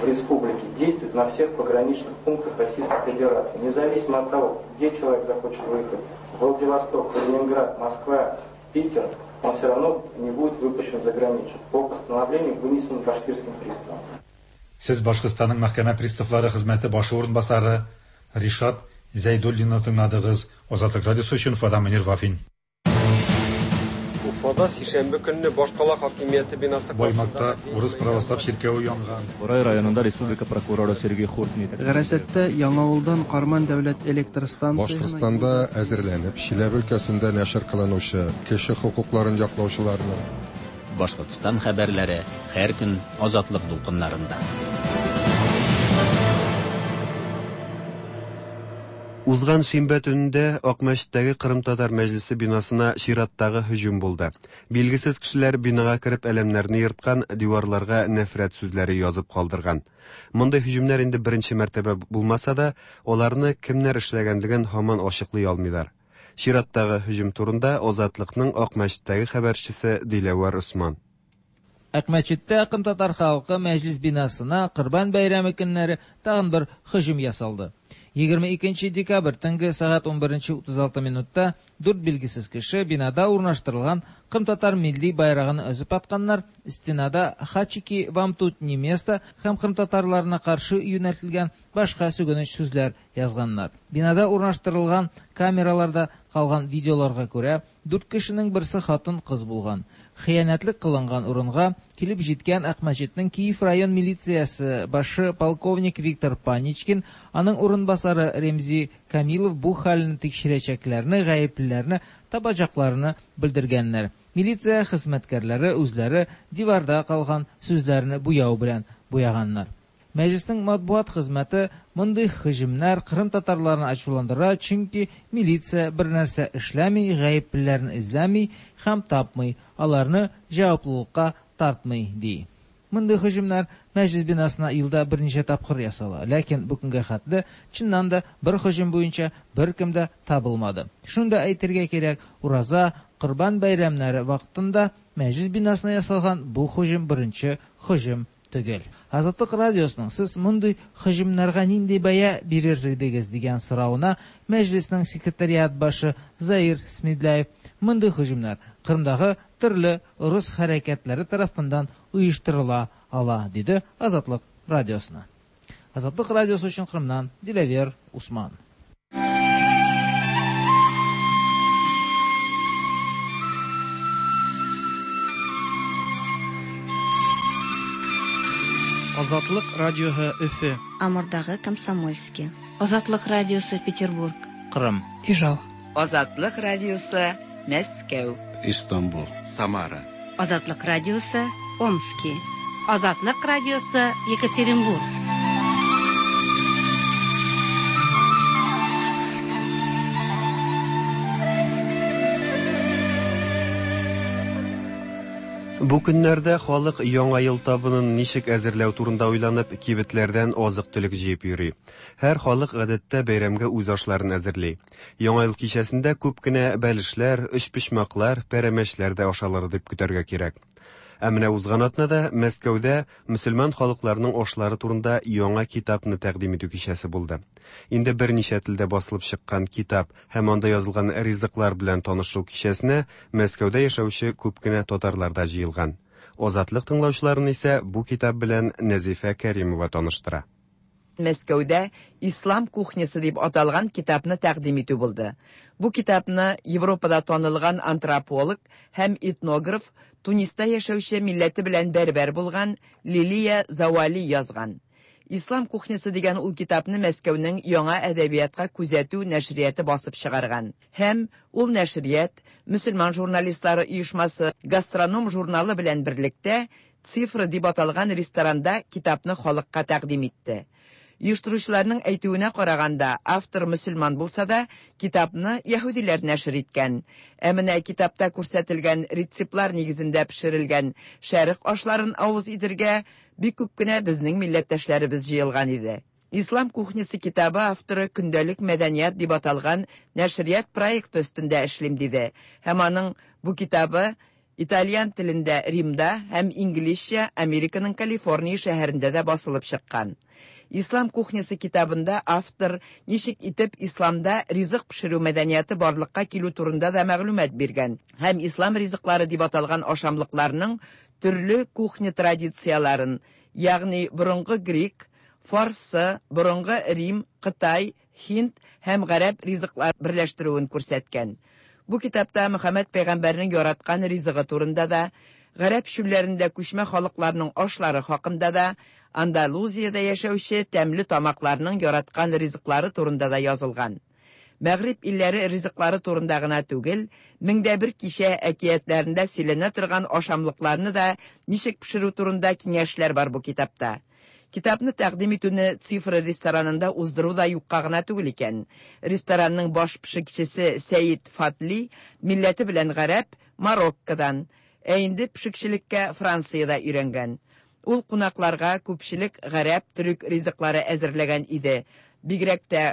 в республике, действует на всех пограничных пунктах Российской Федерации, независимо от того, где человек захочет выехать, Владивосток, Калининград, Москва, Питер, он все равно не будет выпущен за границу по постановлению, вынесенному башкирским приставом. Сез Башкортстанның мәхкәмә приставлары хезмәте башы урынбасары Ришат Зәйдуллинны тыңладыгыз. Азатлык радиосы өчен Фада Мөнир Вафин. Уфада сишәмбе көнне башкала хакимияте бинасы Баймакта урыс православ чиркәве янган. Борай районында республика прокуроры Сергей Хуртин Гарасаттә Яңавылдан Карман дәүләт электр станциясенә Башкортстанда әзерләнеп, Чиләбе өлкәсендә нәшер кылынучы кеше хокукларын яклаучыларның Башкортстан хәбәрләре һәр көн Азатлык дулкыннарында. Узган шимбә төнендә Акмәчеттәге Кырым татар мәҗлесе бинасына чираттагы һөҗүм булды. Билгесез кешеләр бинага кереп әләмнәрне ерткан, диварларга нәфрәт сүзләре язып калдырган. Мондый һөҗүмнәр инде беренче мәртәбә булмаса да, аларны кемнәр эшләгәнлеген һаман ачыклый алмыйлар. Чираттагы һөҗүм турында Азатлыкның Акмәчеттәге хәбәрчесе Диләвәр Усман. Акмәчеттә кырымтатар халкы мәҗлис бинасына Корбан бәйрәме көннәре тагын бер һөҗүм ясалды. 22 декабрь төнге сәгать 11:36 минутта дүрт билгесез кеше бинада урнаштырылган кырымтатар милли байрагын өзеп атканнар, стенада «Хачики, вам тут не место» һәм кырымтатарларына каршы юнәлтелгән башка сүгенеч сүзләр язганнар. Бинада урнаштырылган камераларда калган видеоларга күрә, дүрт кешенең берсе хатын-кыз булган. Хыянәтлек кылынган урынга килеп җиткән Акмәчетнең Киев район милициясе башы полковник Виктор Паничкин, аның урынбасары Ремзи Камилов бу хәлне тикшерәчәкләрне, гаеплеләрне табачакларны белдергәннәр. Милиция хезмәткәрләре үзләре диварда калган сүзләрне буяу белән буяганнар. Мәҗлеснең матбугат хезмәте мондый һөҗүмнәр кырым татарларын ачуландыра, чөнки милиция бер нәрсә эшләми, гаеплеләрне эзләми һәм тапмый, аларны җаваплылыкка тартмый, ди. Мондый һөҗүмнәр мәҗлес бинасына елда берничә тапкыр ясала, ләкин бу көнгә хәтле чыннан да бер һөҗүм буенча беркем дә табылмады. Шуны да әйтергә кирәк, Ураза, Корбан бәйрәмнәре вакытында мәҗлес бинасына ясалган бу һөҗүм беренче һөҗүм түгел. Азатлык радиосының сез мондый һөҗүмнәргә нинди бәя бирер идегез дигән соравына мәҗлеснең секретариат башы Заир Смедляев мондый һөҗүмнәр Кырымдагы төрле рус хәрәкәтләре тарафыннан оештырыла ала, диде Азатлык радиосына. Азатлык радиосы өчен Кырымнан Диләвер Усман. Азатлык радиоһы Өфе. Амурдагы Комсомольский. Азатлык радиосы Петербург. Кырым. Ижау. Азатлык радиосы Мәскәү. Истанбул. Самара. Азатлык радиосы Омски. Азатлык радиосы Екатеринбург. Бу көннәрдә халык яңа ел табынын ничек әзерләү турында уйланып, кибетләрдән азык-төлек җыеп йөри. Һәр халык гадәттә бәйрәмгә үз ашларын әзерли. Яңа ел кичәсендә күп кенә бәлешләр, өчпочмаклар, пәрәмәчләр дә ашалыр дип көтәргә кирәк. Ә менә узган атнада Мәскәүдә мөселман халыкларының ашлары турында яңа китапны тәкъдим итү кичәсе булды. Инде берничә телдә басылып чыккан китап һәм анда язылган ризыклар белән танышу кичәсенә Мәскәүдә яшәүче күп кенә татарлар да җыелган. Азатлык тыңлаучыларын исә бу китап белән Нәзифә Кәримова таныштыра. Мәскәүдә Ислам кухнясы дип аталган китапны тәкъдим итү булды. Бу китапны Европада танылган антрополог һәм этнограф, Туниста яшәүче милләте белән бәрбәр булган Лилия Завали язган. Ислам кухнясы дигән ул китапны Мәскәүнең яңа әдәбиятка күзәтү нәшрияты басып чыгарган. Һәм ул нәшрият мөселман журналистлары оешмасы Гастроном журналы белән берлектә Цифра дип аталган ресторанда китапны халыкка тәкъдим итте. Оештыручыларның әйтүенә караганда, автор мөселман булса да, китапны яһүдиләр нәшер иткән. Ә менә китапта күрсәтелгән рецептлар нигезендә пешерелгән шәрык ашларын авыз итергә бик күп кенә безнең милләттәшләребез җыелган иде. Ислам кухнясы китабы авторы көндәлек мәдәният дип аталган нәшрият проекты өстендә эшлим диде. Һәм аның бу китабы итальян телендә Римда һәм инглизчә Американың Калифорния шәһәрендә дә басылып чыккан. Ислам кухнясы китабында автор ничек итеп исламда ризык пешерү мәдәнияте барлыкка килү турында да мәгълүмат биргән һәм ислам ризыклары дип аталган ашамлыкларның төрле кухня традицияларын, ягъни борынгы грек, фарсы, борынгы Рим, Кытай, Һинд һәм гарәп ризыклар берләштерүен күрсәткән. Бу китапта Мөхәммәд пәйгамбәрнең яраткан ризыгы турында да, гарәп чүлләрендә күчмә халыкларның ашлары хакында да, Андалузиядә яшәүче тәмле тамакларның яраткан ризыклары турында да язылган. Мәгъриб илләре ризыклары турында гына түгел, 1001 кичә әкиятләрендә сөйләнә торган ашамлыкларны да ничек пешерү турында киңәшләр бар бу китапта. Китапны тәкъдим итүне Цифра ресторанында уздыру да юкка гына түгел икән. Ресторанның баш пешекчесе Сәид Фатли милләте белән гарәп, Мароккодан, ә инде пешекчелеккә Франциядә өйрәнгән. Ул кунакларга күпчелек гарәп, төрек ризыклары әзерләгән иде. Бигрәк тә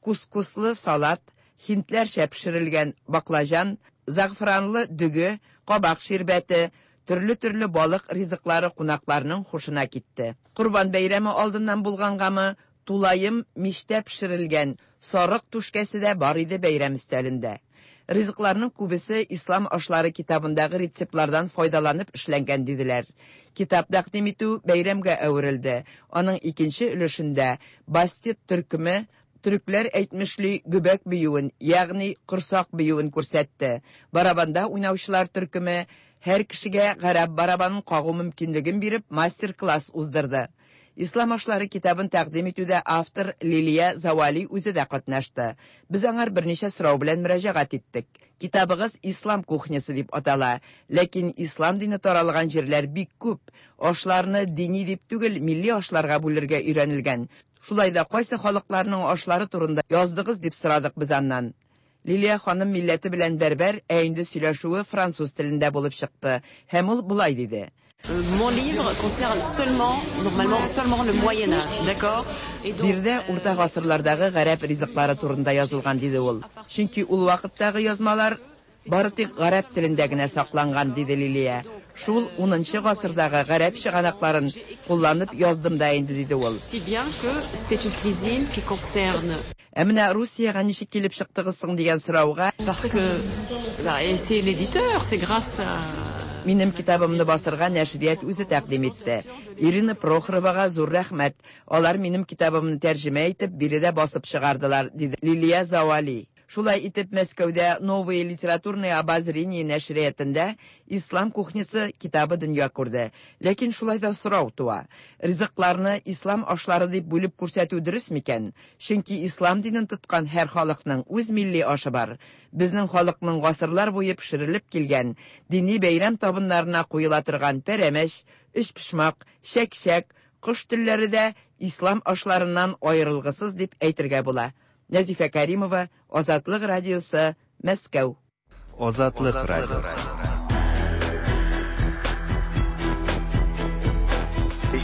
кускуслы салат, һиндләрчә пешерелгән баклажан, зәгъфранлы дөге, кабак ширбәте, төрле-төрле балык ризыклары кунакларның хушына китте. Корбан бәйрәме алдыннан булгангамы, тулаем мичтә пешерелгән сарык түшкәсе дә бар иде бәйрәм өстәлендә. Ризыкларның күбесе Ислам ашлары китабындагы рецептлардан файдаланып эшләнгән диделәр. Китап тәкъдим итү бәйрәмгә әверелде. Аның икенче өлешендә Бастет төркеме төрекләр әйтмешли гөбәк биюен, ягъни корсак биюен күрсәтте. Барабанда уйнаучылар төркеме һәр кешегә гарәп барабанын кагу мөмкинлеген биреп мастер-класс уздырды. Ислам ашлары китабын тәкъдим итүдә автор Лилия Завали үзе дә катнашты. Без аңар берничә сорау белән мөрәҗәгать иттек. Китабыгыз Ислам кухнясы дип атала, ләкин ислам дине таралган җирләр бик күп. Ашларны дини дип түгел, милли ашларга бүлергә өйрәнелгән. Шулай да кайсы халыкларның ашлары турында яздыгыз дип сорадык без аннан. Лилия ханым милләте белән бәрбәр, ә инде сөйләшүе француз телендә булып чыкты. Һәм ул болай диде. Mon livre concerne seulement, normalement, seulement le Moyen Âge, d'accord? Биредә урта гасырлардагы гарәп ризыклары турында язылган, диде ул. Чөнки ул вакыттагы язмалар бары тик гарәп телендә генә сакланган, диде Лилия. Шул 10 гасырдагы гарәп чыганакларын кулланып яздым да инде, диде ул. Si bien que c'est une cuisine qui concerne Ә менә Русиягә ничек килеп чыктыгыз соң дигән сорауга Parce que bah, et c'est l'éditeur, c'est grâce à Минем китабымны басырга нәшрият үзе тәкъдим итте. Ирина Прохоровага зур рәхмәт. Алар минем китабымны тәрҗемә итеп, биредә басып чыгардылар, диде Лилия Завали. Шулай итеп, Мәскәүдә Новые литературные обозрения нәшриятында Ислам кухнясы китабы дөнья күрде. Ләкин шулай да сорау туа. Ризыкларны ислам ашлары дип бүлеп күрсәтү дөрес микән? Чөнки ислам динен тоткан һәр халыкның үз милли ашы бар. Безнең халыкның гасырлар буе пешерелеп килгән дини бәйрәм табыннарына куела торган пәрәмәч, өчпочмак, чәк-чәк, кош телләре дә ислам ашларыннан аерылгысыз дип әйтергә була. Нәзифә Кәримова, Азатлык радиосы, Мәскәү. Азатлык радиосы.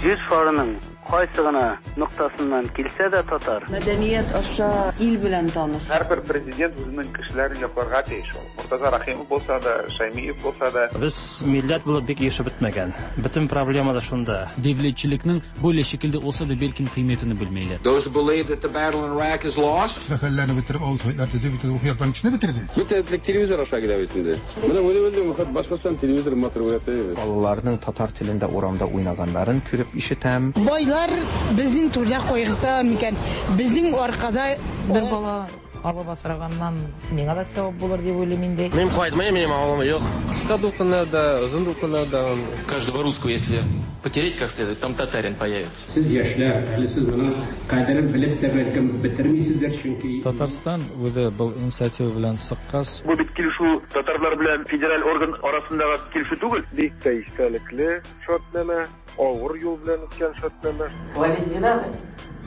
Җир шарының кайсы гына ноктасыннан килсә дә татар. Мәдәният аша ил белән таныш. Һәрбер президент үзенең кешеләрен якларга тиеш ул. Мортаза Рәхимов булса да, Шәймиев булса да. Без милләт булып бик ирешеп бетмәгән. Бөтен проблема да шунда. Devletchilikning böyle şekilde olsa da belkim qiymetini bilmeyler. Those who believe that the battle in Iraq is lost. Мәхәлләне бетереп, авыл советлар төзеп, бөтен рухи яктан кешене бетерде. Бөтен элек телевизор аша килә бит инде. Менә үзе белдем, Башкортстан телевизор матур күрәтә. Балаларның татар телендә урамда уйнаганнарын күреп ишетәм. Байлар безнең түрдә кайгырта микән? Безнең аркада бер бала алып асраганнан миңа да сәвап булыр дип уйлыйм инде. Мин кайтмыйм, минем авылым юк. Кыска дулкыннарда, озын дулкыннарда. Каждого русского, если потереть как следует, там татарин появится. Сез яшьләр, әле сез моның кадерен белеп тә бәлкем бетермисездер, чөнки Татарстан үзе был инициатива белән чыккач, Бу бит килешү татарлар белән федераль орган арасындагы килешү түгел. Бик тә истәлекле шартнамә, авыр юл белән үткән шартнамә. Хвалить не надо,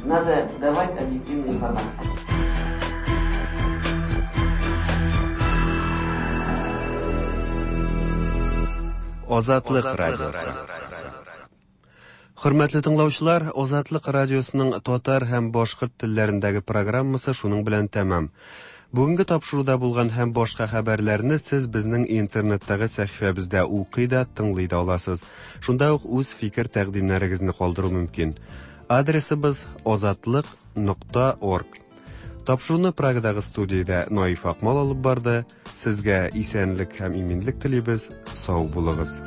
надо давать объективную информацию. Азатлык радиосы. Хөрмәтле тыңлаучылар, Азатлык радиосының татар һәм башкорт телләрендәге программасы шуның белән тәмам. Бүгенге тапшыруда булган һәм башка хәбәрләрне сез безнең интернеттагы сәхифәбездә укый да, тыңлый да аласыз. Шунда ук үз фикер тәкъдимнәрегезне калдыру мөмкин. Адресыбыз azatliq.org. Тапшыруны Прагадагы студиядә Наиф Акмал алып барды. Сезгә исәнлек һәм иминлек телибез. Сау булыгыз.